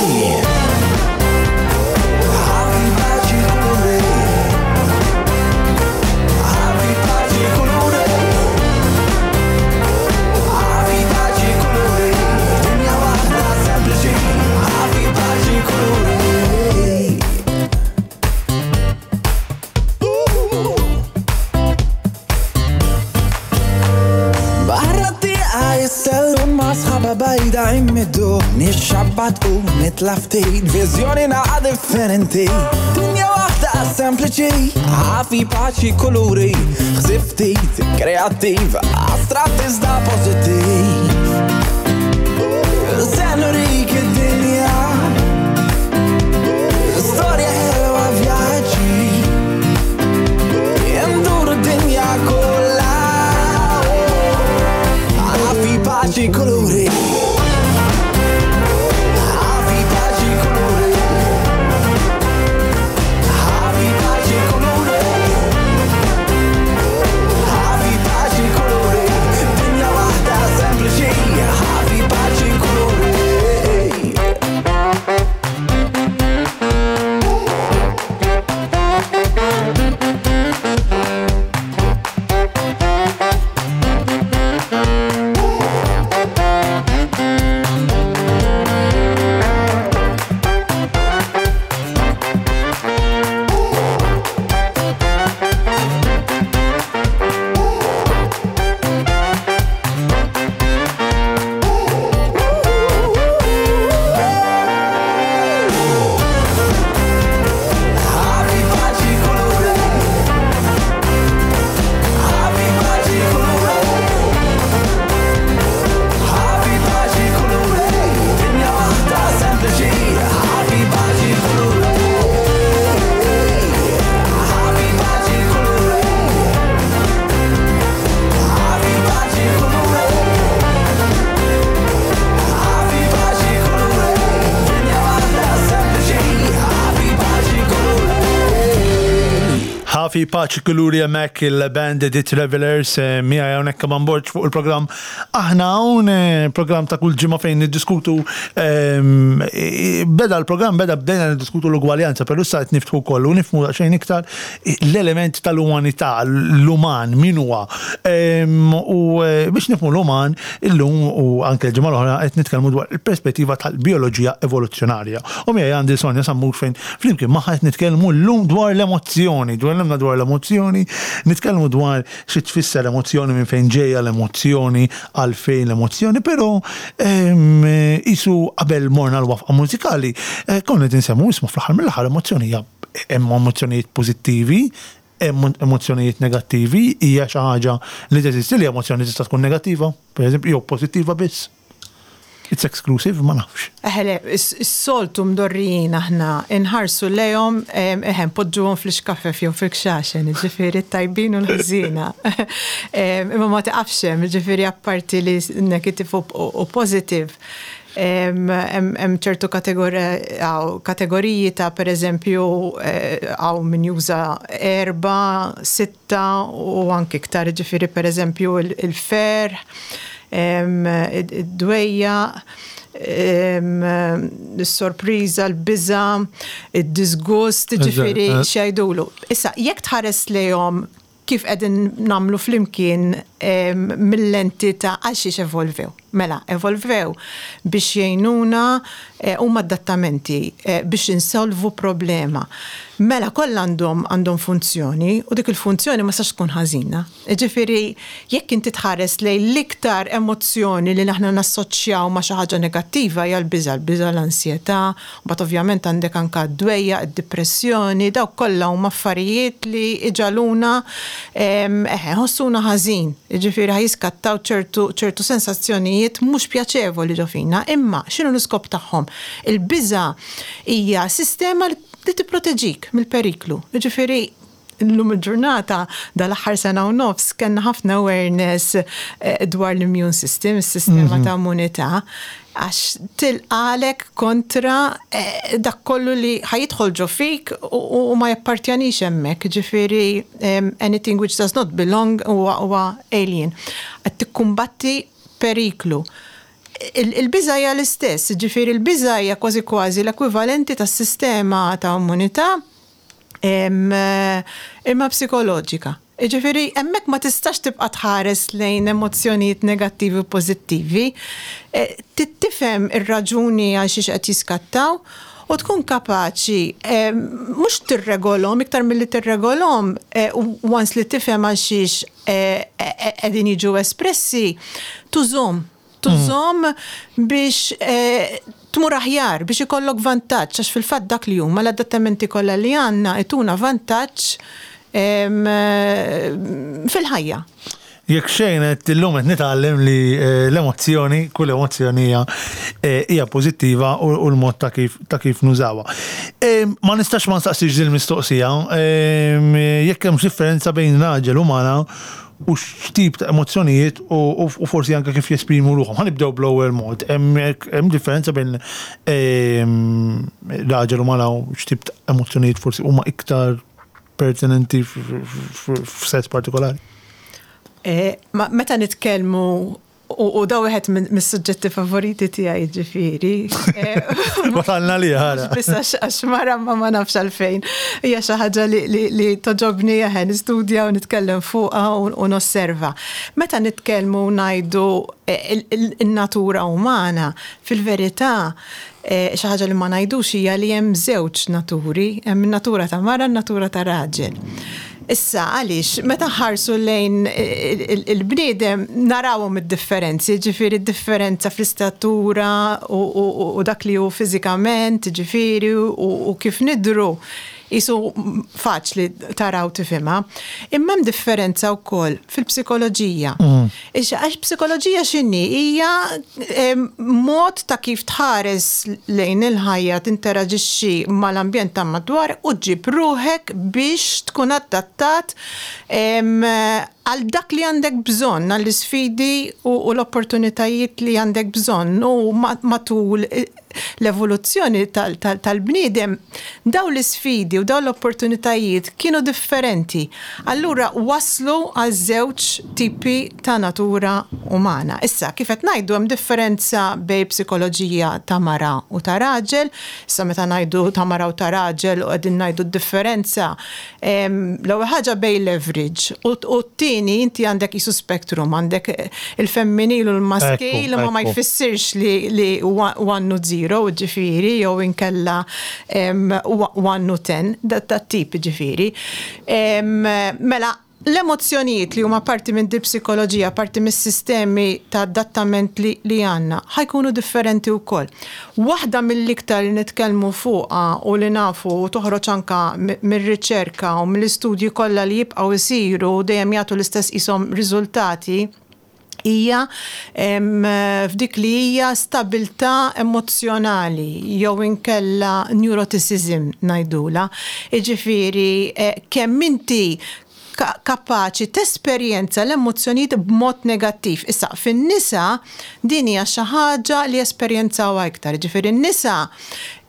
Speaker 3: Ħafi paċi kuluri Ħafi paċi kuluri Ħafi paċi kuluri Dinja waħda sempliċi Ħafi paċi kuluri Barra t-tieqa jissellum ma' sħaba bajda jmiddu Nixxabbat u nitla' ftit Viżjoni naqa' differenti Dinja waħda sempliċi Ħafi paċi kuluri Ħsib ftit kreattiv Astratt iżda pożittiv Se nurik id-dinja. paċi kuluri. Ħafi paċi kuluri. Ħafi paċi kuluri. Ħafi paċi kuluri. Dinja waħda sempliċi. Ħafi paċi kuluri. Ħafi paċi kuluri. Ħafi paċi kuluri. Ħafi paċi kuluri. Dinja waħda sempliċi. Ħafi paċi kuluri. Ħafi paċi kuluri. Ħafi paċi kuluri. Ħafi paċi kuluri. Dinja waħda sempliċi. Ħafi paċi kuluri.
Speaker 1: Ħafi paċi kuluri hemmhekk il-band The Travelers eh, miegħi hawnhekk Kaman Borg fuq il-programm Aħna hawn eh, programm ta' kull ġimgħa fejn niddiskutu ehm, eh, beda l-programm beda bdejna niddiskutu l-ugwaljanza, però issa qed niftħu wkoll u nifhmu daqsxejn iktar l-element tal-umanità, l-uman min huwa. Ehm, u biex nifhmu l-uman illum u anke l-ġimgħa l-oħra qed nitkellmu dwar il-perspettiva tal-bioloġija evoluzzjonarja. U miegħi għandi Sonja Sammut fejn Flimkien magħha qed nitkellmu llum dwar l-emozzjoni, dwar dwar l-emozzjoni, nitkellmu dwar xi tfisser emozzjoni, minn fejn ġejja l-emozzjoni, għalfejn l-emozzjoni, però qisu qabel morna l-wafqa mużikali, eh, konna qed insemmu isma' fl-aħħar mill-aħħar emozzjoni hija hemm emozzjonijiet pożittivi, hemm emozzjonijiet negattivi, hija xi ħaġa li teżisti li emozzjoni tista' tkun negattiva, pereżempju, jew pożittiva biss. It's exclusive, ma nafx.
Speaker 2: Eħe le, is-soltu mdorrijin aħna inħarsu lejhom, eħe npoġġuhom fl-ixkafef jew fil-kxaxen, jiġifieri t-tajbin u l-ħżiena. Imma ma tiqafx hemm, jiġifieri apparti li negative u positive, hemm ċertu kategoriji ta' pereżempju hawn min juża erba', sitta u anki iktar, jiġifieri pereżempju il-ferħ, id-dwejjaq, is-sorpriża, l-biża', id-diżgust, jiġifieri x'jgħidulu. Issa, jekk tħares lejhom kif qegħdin nagħmlu flimkien mil-lenti ta' għalxiex evolvew. Mela, evolvew biex jgħinuna huma adattamenti biex insolvu problema. Mela kollha għandhom għandhom funzjoni u dik il-funzjoni ma tistax tkun ħażina. Jiġifieri, jekk inti tħares lejn l-iktar emozzjoni li aħna nassoċjaw ma' xi ħaġa negattiva hija l-biża', l-biża', l-ansjetà, mbagħad ovvjament għandek anke d-dwejjaq, id-dipressjoni, dawk kollha huma affarijiet li jġagħluna eħe, nħossuna ħażin. Jiġifieri ħa jiskattaw ċertu ċertu sensazzjonijiet mhux pjaċevoli ġo fina. Imma x'inhu l-iskop tagħhom? Il-biża' hija sistema li tipproteġik mill-periklu. Jiġifieri Illum il-ġurnata, dal-aħħar sena u nofs, kellna ħafna awareness eh, dwar l-immune system, is-sistema mhm. ta' immunità, għax tilqalek kontra eh, dak kollu li ħajidħol ġo fik u ma jappartjanix hemmhekk, ġifieri anything which does not belong huwa alien. Qed tikkumbatti periklu. Il-biża' hija l-istess, ġifieri l-biża' hija kważi kważi l-ekwivalenti tas-sistema ta' immunità imma psikoloġika. Jiġifieri hemmhekk ma tistax tibqa' tħares lejn emozzjonijiet negattivi u pożittivi. Eh, tifhem ir-raġuni għal xiex qed jiskattaw u tkun kapaċi mhux tirregolhom iktar milli tirregolhom eh, once li tifhem għal xiex eh, qegħdin jiġu espressi tużhom tużhom biex eh, tmur aħjar, biex ikollok vantaġġ, għax fil-fatt dak li huma l-adattamenti kollha li għandna ituna vantaġġ eh, fil-ħajja.
Speaker 1: Jekk xejn qed illum qed nitgħallem li eh, l-emozzjoni, kull emozzjoni hija hija pożittiva u l-mod ta' kif ta' kif nużawha. Ma nistax ma nistaqsix din il-mistoqsija jekk hemm differenza bejn raġel u mara. u x'tip ta' emozzjonijiet u forsi anke kif jesprimu ruħhom. Ħa nibdew bl-ewwel mod. Hemm differenza bejn ehm, raġel u mara u x'tip ta' emozzjonijiet forsi huma iktar pertinenti f'sess partikolari?
Speaker 2: Eh, meta nitkellmu U da wieħed mis-suġġetti favoriti tiegħi ġifieri.
Speaker 1: Wasalna li ħara.
Speaker 2: Biss għax mara ma ma nafx għalfejn. Hija xi ħaġa li toġobni eħe nistudja u nitkellem fuqha u nosserva. Meta nitkellmu ngħidu eh, in-natura umana, fil-verità eh, xi ħaġa li ma ngħidux hija li hemm żewġ naturi, hemm in-natura ta' mara, n-natura ta' raġel. Issa, għaliex, meta nħarsu lejn il-bniedem narawhom id-differenzi, ġifieri d-differenza fl-istatura u dak li hu fiżikament, ġifieri u kif nidhru, qisu faċli tara u tifhimha. Imma hemm differenza wkoll fil-psikoloġija. Għax psikoloġija x'inhi? Hija mod ta' kif tħares lejn il-ħajja, tinteraġixxi mal-ambjent ta' madwar u ġġib ruħek biex tkun adattat għal dak li għandek bżonn, għall-isfidi u l-opportunitajiet li għandek bżonn u matul l-evoluzzjoni tal-bniedem, dawn l-isfidi u dawn l-opportunitajiet kienu differenti. Allura waslu għal żewġ tipi ta' natura umana. Issa, kif qed ngħidu hemm differenza bejn psikoloġija ta' mara u ta' raġel. Issa meta ngħidu ta' mara u ta' raġel u qegħdin ngħidu d-differenza, L-ewwel ħaġa bejn l-average u t-tieni inti għandek qisu spectrum, għandek il-femminil u l-maskil imma ma jfissirx li one u zero ġifieri jew inkella one u ten, dat-tip ġifieri. Mela, L-emozzjonijiet li huma parti minn dil-psikoloġija, parti mis-sistemi ta' adattament li li għandna, ħa jkunu differenti wkoll. Waħda mill-iktar li nitkellmu fuqha u li nafu u toħroġ anke mir-riċerka u mill-istudji kollha li jibqgħu jsiru u dejjem jagħtu l-istess qishom riżultati, hija f'dik li hija stabilità emozzjonali jew inkella neuroticism ngħidulha. Jiġifieri kemm inti kapaċi tesperjenza l-emozzjonijiet b'mod negattiv. Issa, fin-nisa din hija xi ħaġa li jesperjenzawha iktar. Jiġifieri n-nisa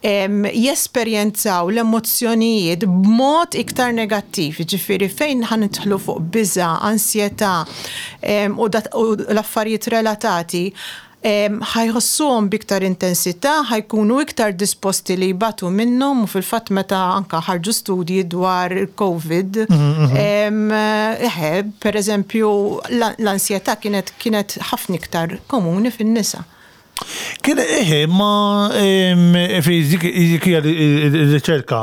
Speaker 2: jesperjenzaw l-emozzjonijiet b'mod iktar negattiv, jiġifieri fejn ħa nidħlu fuq biża', ansjetà u l-affarijiet relatati, ħa jħossuhom b'iktar intensità, ħa jkunu iktar disposti li jbatu minnhom u fil-fatt meta anke ħarġu studji dwar il-Covid, eħe, pereżempju l-ansjetà kienet ħafna iktar komuni fin-nisa.
Speaker 1: Kien eħe, ma fi dik hija r-riċerka,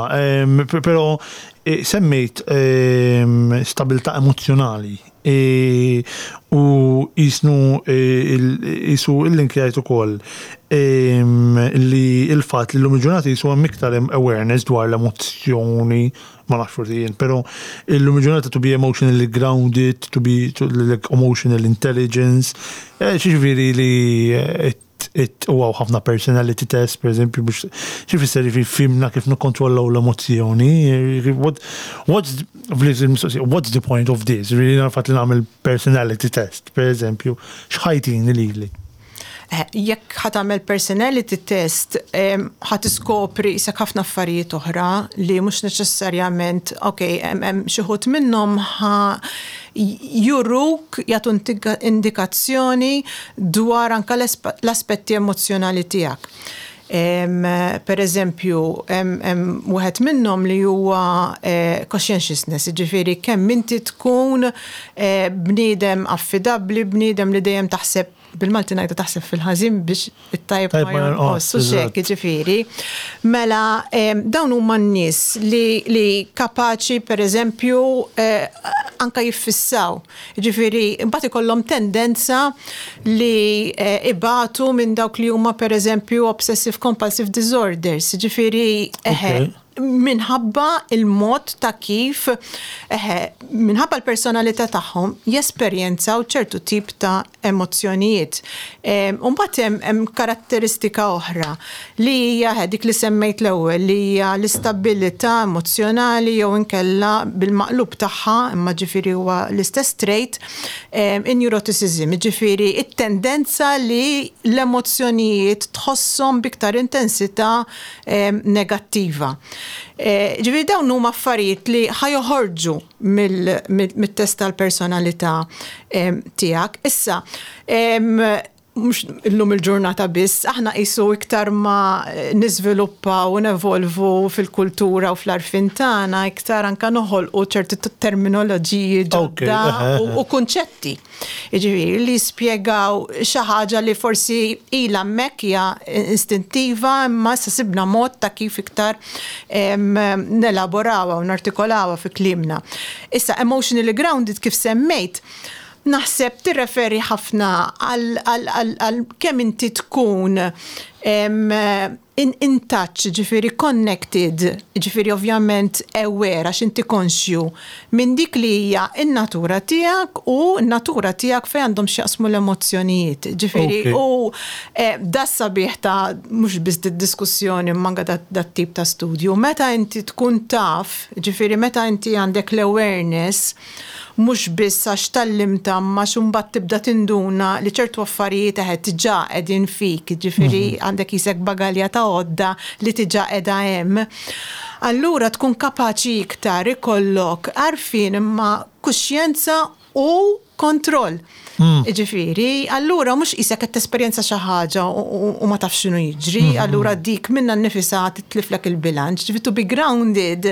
Speaker 1: però eh, semmejt stabilità emozzjonali e, u jisnu e, jisu il-linkjajt ukoll li il-fatt li l-lum il-ġurnata jisu hemm iktar awareness dwar l-emozzjoni ma nafx forsi jien, però illum il-ġurnata to be emotionally grounded, to be to, like emotional intelligence, eh, xiġifieri li eh, u għaw ħafna personality test, per eżempju, biex xifisser li fimna kif nikkontrollaw l-emozjoni, eh, what, what's, what's the point of this? Really nafat li nagħmel personality test, per eżempju, xħajtini lili?
Speaker 2: Eh, jekk ħa tagħmel personality test, ħa tiskopri isek ħafna affarijiet oħra li mhux neċessarjament, ok, hemm xi ħut minnhom ħa juruk jagħtu indikazzjoni dwar anka l-aspetti emozjonali tiegħek. Per eżempju, hemm wieħed minnhom li huwa eh, conscientiousness, jiġifieri kemm inti tkun eh, bniedem affidabbli, bniedem li dejjem taħseb bil-Malti ngħidu taħseb fil-ħażin biex it-tajb ma jonqos u xek, ġifieri. Mela dawn huma n-nies li, li kapaċi pereżempju eh, anka jiffissaw. Ġifieri mbagħad ikollhom tendenza li eh, ibatu minn dawk li huma pereżempju obsessive compulsive disorders. Ġifieri eħe, minħabba il-mod ta' kif, eħe, minħabba l-personalità tagħhom jesperjenzaw ċertu tip ta' emozzjonijiet. U mbagħad hemm karatteristika oħra li hija dik li semmejt l-ewwel li hija l-istabbilità emozzjonali jew inkella bil-maqlub tagħha, imma ġifieri huwa l-istess trait, in-neuroticism, jiġifieri t-tendenza li l-emozzjonijiet tħosshom b'iktar intensità negattiva. Ġifieri dawn huma affarijiet li ħa joħorġu mit-test tal-personalità tiegħek. Issa, mhux illum il-ġurnata biss, aħna qisu iktar ma niżviluppaw u nevolvu fil-kultura u fl-għarfien tagħna, iktar anke noħolqu ċerti terminoloġiji ġodda u kunċetti. Jiġifieri li jispjegaw xi ħaġa li forsi ilha hemmhekk hija istintiva imma issa sibna mod ta' kif iktar nelaborawha u nartikolawha fi kliemna. Issa emotionally grounded kif semmejt, naħseb tirreferi ħafna għal kemm inti tkun in, in touch, ġifieri connected, ġifieri ovvjament aware għax inti konxju minn dik li hija n-natura tiegħek u n-natura tiegħek fejn għandhom x'jaqsmu l-emozzjonijiet. Ġifieri okay. u eh, da sabiħ ta' mhux biss diskussjoni imma anke dat tip ta' studju. Meta inti tkun taf, ġifieri meta inti għandek l-awareness mhux biss għax tgħallimtha imma għax imbagħad tibda tinduna li ċertu affarijiet eħe diġà qegħdin fik, jiġifieri għandek qisek bagalja ta' għodda li diġà qiegħda hemm. Allura tkun kapaċi iktar ikollok għarfien imma kuxjenza u kontroll. Jiġifieri, allura mhux qisek qed tesperjenza xi ħaġa u ma tafx x'inhu jiġri, allura dik minnha nnifisha titliflek il-bilanċ. Ġifieri to be grounded,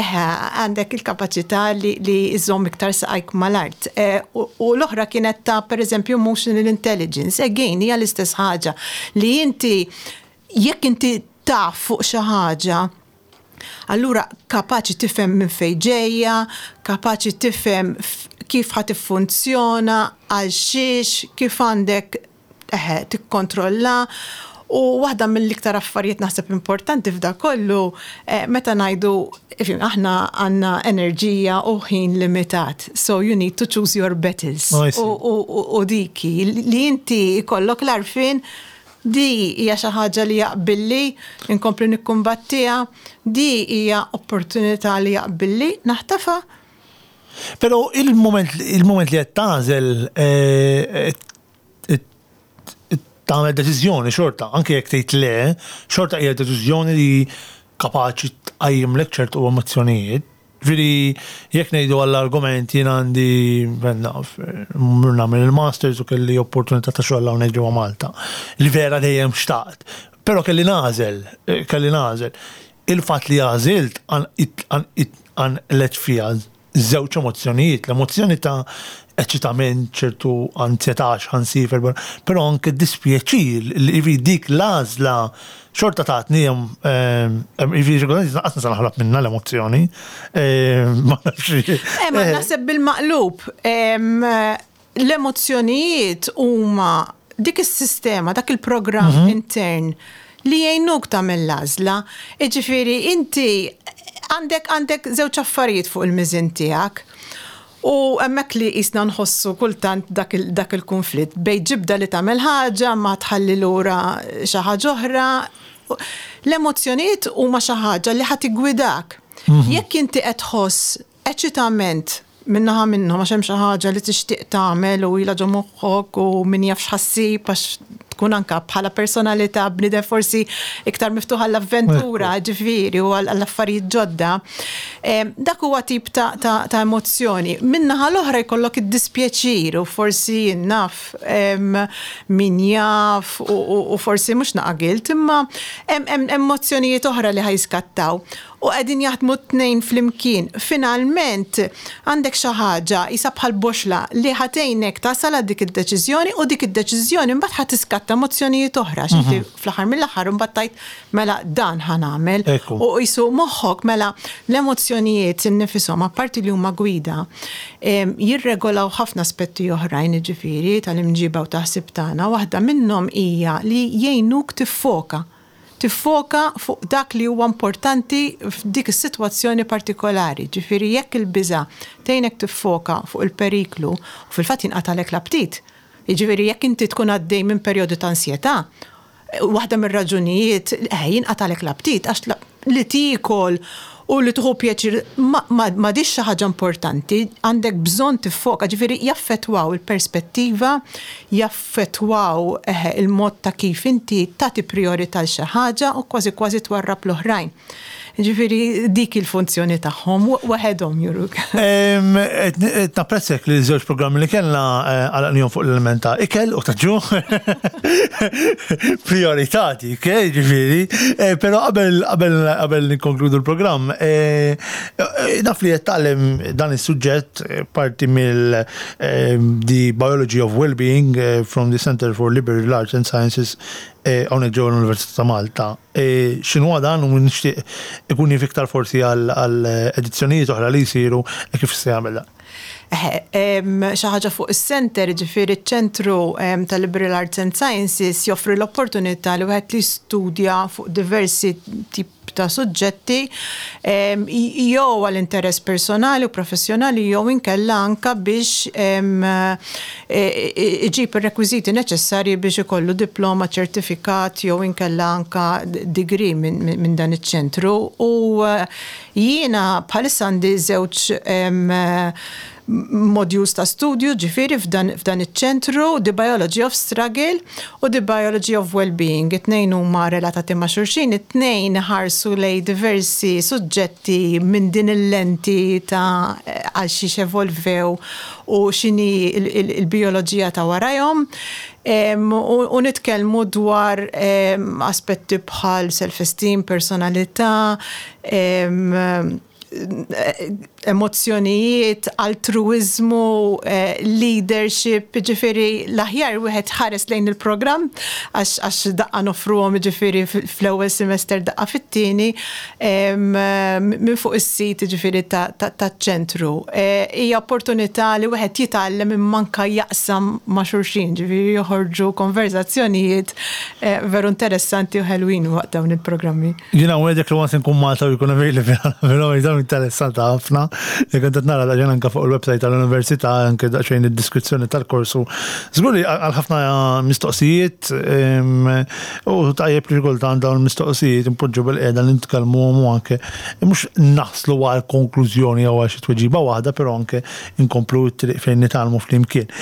Speaker 2: eħe, għandek il-kapaċità li li żżomm iktar saqajk mal-art. U l-oħra kienet ta' pereżempju emotional intelligence. Again, hija l-istess ħaġa li inti jekk inti taf fuq xi ħaġa, Allura kapaċi tifhem minn fejn ġejja, kapaċi tifhem kif ħa tiffunzjona, għal xiex, kif għandek eħe tikkontrolla. U waħda mill-iktar affarijiet naħseb importanti f'da kollu, eh, meta ngħidu aħna għandna enerġija u ħin limitat. So you need to choose your battles. U diki li inti jkollok l-għarfien Di hija xi ħaġa li jaqbilli nkompli nikkumbattiha, di hija opportunità li jaqbilli naħtafha.
Speaker 1: Però il-mument il-mument li qed tagħżel eh, tagħmel deċiżjoni xorta, anke jekk tgħid le, xorta hija deċiżjoni li kapaċi tqajjimlek ċertu emozzjonijiet. Ġifieri jekk ngħidu għall-argument jien għandi naf, mmur nagħmel il-masters u kelli opportunità ta' xogħol hawnhekk ġewwa Malta, li vera dejjem xtaqt. Però kelli nagħżel, kelli nagħżel. Il-fatt li għażilt qanqlet fija żewġ emozzjonijiet, l-emozzjoni ta' eċitament, ċertu anzjetà għax ħa nsiefer barra, però anke dispjaċir li dik l-għażla xorta tatni jiġifieri lanqas nista' naħrab minnha l-emozzjoni. Ma nafx.
Speaker 2: Eh, ma naħseb bil-maqlub. L-emozzjonijiet huma dik is-sistema, dak il-programm mhm. intern li jgħinuk tagħmel l-għażla. Jiġifieri inti għandek għandek żewġ affarijiet fuq il-miżin tiegħek. U hemmhekk li qisna nħossu kultant dak dak il-kunflitt bejn ġibda li tagħmel ħaġa ma tħalli lura xi ħaġa oħra. L-emozzjonijiet huma xi ħaġa li ħa tiggwidak. Jekk inti qed tħoss eċitament minn naħa minnhom għax hemm xi ħaġa li tixtieq tagħmel u ilha ġo moħħok u min jaf x'ħa ssib għax tkun anka bħala personalità bniedem forsi iktar miftuħ għall-avventura, ġifieri, u għall-affarijiet ġodda. Dak huwa tip ta', ta, ta emozzjoni. Min-naħa l-oħra jkollok id-dispjaċir u forsi naf min jaf u, u, u forsi mhux naqa' guilt, imma hemm emozzjonijiet oħra li ħajskattaw. U qegħdin jaħdmu t-tnejn flimkien. Finalment, għandek xi ħaġa qisha bħal boxla li ħa tgħinek tasal għal dik id-deċiżjoni u dik id-deċiżjoni mbagħad ħa tiskatta emozzjonijiet oħra għax inti fl-aħħar mill-aħħar imbagħad tgħid mela dan ħa nagħmel. U qisu moħħok mela l-emozzjonijiet innifishom apparti li huma gwida, jirregolaw ħafna aspetti oħrajn jiġifieri tal-imġiba u tal-ħsieb tagħna. Waħda minnhom hija li jgħinuk tiffoka. Tiffoka fuq dak li huwa importanti f'dik is-sitwazzjoni partikolari. Ġifieri jekk il-biża' tgħinek tiffoka fuq il-periklu, u fil-fatt jinqatagħlek l-aptit. Jiġifieri jekk inti tkun għaddej minn perjodu ta' ansjetà, waħda mir-raġunijiet eh, jinqatalek l-aptit għax li tiekol u li tieħu pjaċir m'għadhiex xi ħaġa importanti, għandek bżonn tiffoka, ġifieri jaffettwaw il-perspettiva, jaffettwaw eh, il-mod ta' kif inti tagħti prijorità l xi ħaġa u kważi kważi twarrab l-oħrajn. Ġifieri dik il-funzjoni tagħhom waħedhom juruk.
Speaker 1: Napprezzek li żewġ programmi li kellna eh, għalaqnihom fuq l-element ta' ikel u ta' ġuħ. Priorità dik, eh, ġifieri. Eh, però qabel qabel qabel nikkonkludu l-programm, naf li qed tgħallem dan is-suġġett parti mill The Biology of Wellbeing from the Center for Liberal Arts and Sciences hawnhekk ġewwa l-Università ta' Malta. X'inhuwa dan u nixtieq ikun jaf iktar forsi għal edizzjonijiet oħra li jsiru kif se jagħmel dan.
Speaker 2: Xi ħaġa fuq is-center, jiġifieri ċ-ċentru ta' Liberal Arts and Sciences joffri l-opportunità li wieħed li jistudja fuq diversi tip ta' suġġetti jew għal interess personali u professjonali jew inkella anka biex iġib ir-rekwiżiti neċessarji biex ikollu diploma, ċertifikat jew inkella anka degree minn dan iċ-ċentru. U jiena bħalissa għandi żewġ modules ta' studju ġifieri f'dan iċ-ċentru, The Biology of Struggle u The Biology of Wellbeing. It-tnejn huma relatati ma' xulxin, it-tnejn iħarsu lejn diversi suġġetti minn din il-lenti ta' għal xiex evolvew u x'inhi l-bijoloġija ta' warajhom. U nitkellmu dwar aspetti bħal self-esteem, personalità, emozzjonijiet, altruwiżmu, leadership, jiġifieri l-aħjar wieħed ħares lejn il-programm għax daqqa noffruhom jiġifieri fl-ewwel semester daqqa fit-tieni minn fuq is-sit jiġifieri taċ-ċentru. Hija opportunità li wieħed jitgħallem imma anke jaqsam ma' xulxin, jiġifieri joħorġu konverżazzjonijiet veru interessanti u ħelwin waqt dawn il-programmi.
Speaker 1: Jiena nwegħdek li once nkun Malta u jkun available però dawn interessanta ħafna. Jekk qed nara daqsxejn anke fuq il-website tal-università anke daqsxejn id-diskrizzjoni tal-korsu. Żgur li għal ħafna mistoqsijiet u tajjeb li kultant dawn il-mistoqsijiet impoġġu bil-qiegħda li nitkellmuhom u anke mhux naslu għal konklużjoni jew għal xi tweġiba waħda, però anke nkomplu t-triq fejn nitgħallmu flimkien.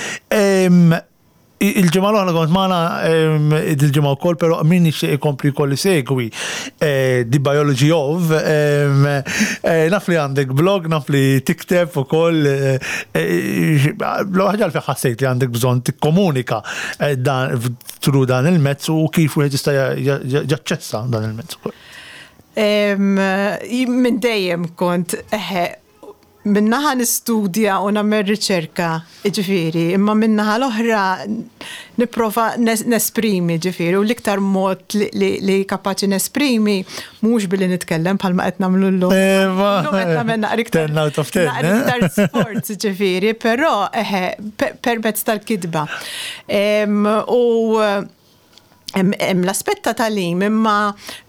Speaker 1: Il-ġimgħa l-oħra kont magħna il-ġimgħa wkoll, però min jixtieq ikompli jkoll isegwi eh, The Biology of, eh, naf li għandek blog, naf li tikteb ukoll, eh, ħaġa li ħassejt li għandek bżonn tikkomunika dan through dan il-mezz u kif wieħed jista' jaċċessa dan il-mezz ukoll.
Speaker 2: Minn dejjem kont eħe Min-naħa nistudja u nagħmel riċerka, jiġifieri, imma min-naħa l-oħra nipprova nesprimi, jiġifieri, u l-iktar mod li kapaċi nesprimi mhux billi nitkellem bħalma qed nagħmlu llum. Illum qed nagħmel naqra iktar.
Speaker 1: Ten out of ten.
Speaker 2: Naqra iktar sforz, jiġifieri, però eħe permezz tal-kitba. U hemm l-aspett ta' tagħlim imma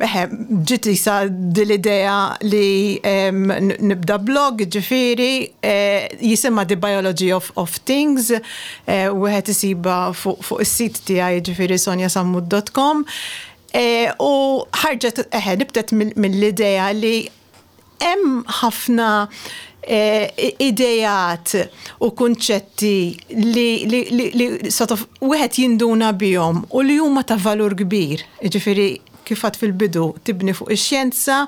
Speaker 2: eħe ġiet isa dil-idea li nibda blog ġifieri eh, jisimha The Biology of, of Things eh, wieħed isibha fuq fu is-sit tiegħi ġifieri sonjasammut.com eh, u ħarġet eħe nibtet mill-idea li Hemm ħafna ideat u kunċetti li li li sort of wieħed jinduna bihom u li huma ta' valur kbir. Jiġifieri kif għedt fil-bidu, tibni fuq ix-xjenza,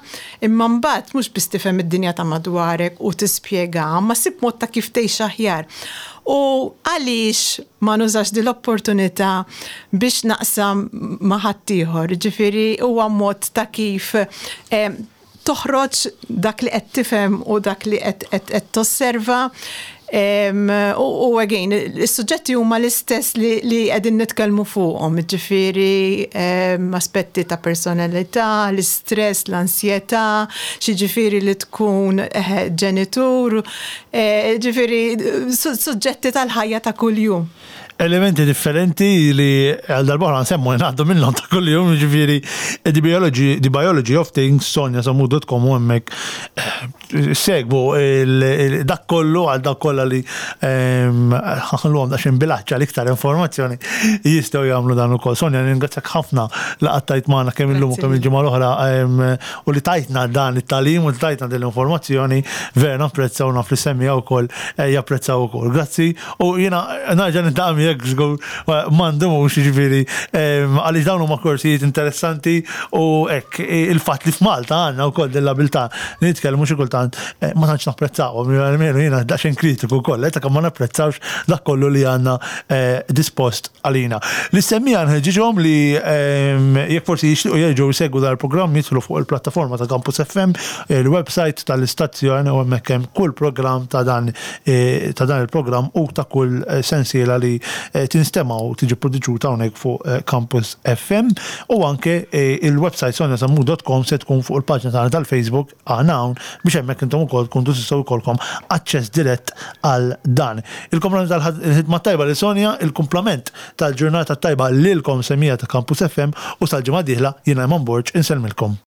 Speaker 2: imma mbagħad mhux biss tifhem id-dinja ta' madwarek u tispjegaha, imma ssib mod ta' kif tgħix aħjar. U għaliex ma nużax din l-opportunità biex naqsam ma' ħaddieħor? Jiġifieri huwa mod ta' kif toħroġ dak li qed tifhem u dak li qed tosserva. U again, is-suġġetti huma l-istess li qegħdin nitkellmu fuqhom, ġifieri aspetti ta' personalità, l-istress, l-ansjetà, x'jiġifieri li tkun eh, ġenitur, eh, ġifieri suġġetti tal-ħajja ta' kuljum.
Speaker 1: elementi differenti li għal darba nsemmu ngħaddu minnhom ta' kuljum, jiġifieri the biology, the biology of things, sonjasamud.com u hemmhekk eh, segwu dak kollu għal dak kollha li ehm, ħalluhom daqsxejn bilaċċa l-iktar informazzjoni jistgħu jagħmlu dan ukoll. Sonja, ningrazzjak ħafna li qattajt magħna kemm illum u kemm il-ġimgħa l-oħra ehm, u li tajtna dan it-tagħlim u li tajtna din l-informazzjoni vera napprezzaw naf li semmiha wkoll eh, japprezzaw ukoll. Grazzi u jiena narġa' niltaqa' miegħek żgur ma ndumux jiġifieri ehm, għaliex dawn huma korsijiet interessanti u hekk il-fatt li f'Malta għandna wkoll din l-abilità li nitkellmu xi kultant eh, ma tantx napprezzawhom, almenu jiena daqsxejn kritiku wkoll, eh, ta' kemm ma napprezzawx dak kollu li għandna eh, dispost għalina. L-istemmija nħeġġiġhom li ehm, jekk forsi jixtiequ jerġgħu jsegwu dal-programm jidħlu fuq il-plattaforma ta' Campus FM, il-website tal-istazzjon u hemmhekk hemm kull programm ta' dan eh, ta' dan il-programm u ta' kull eh, sensiela li eh, tinstema' u tiġi produċuta hawnhekk fuq Campus FM u anke il-website sonjasammu.com se tkun fuq il-paġna tagħna tal-Facebook aħna hawn biex hemmhekk intom ukoll tkunu tistgħu jkollkom aċċess dirett għal dan. Il-kumplament tal-ħidma tajba lil Sonja, il-kumplament tal-ġurnata tajba lilkom semija ta' Campus FM u sal-ġimgħa dieħla jiena Eman Borg insellmilkom.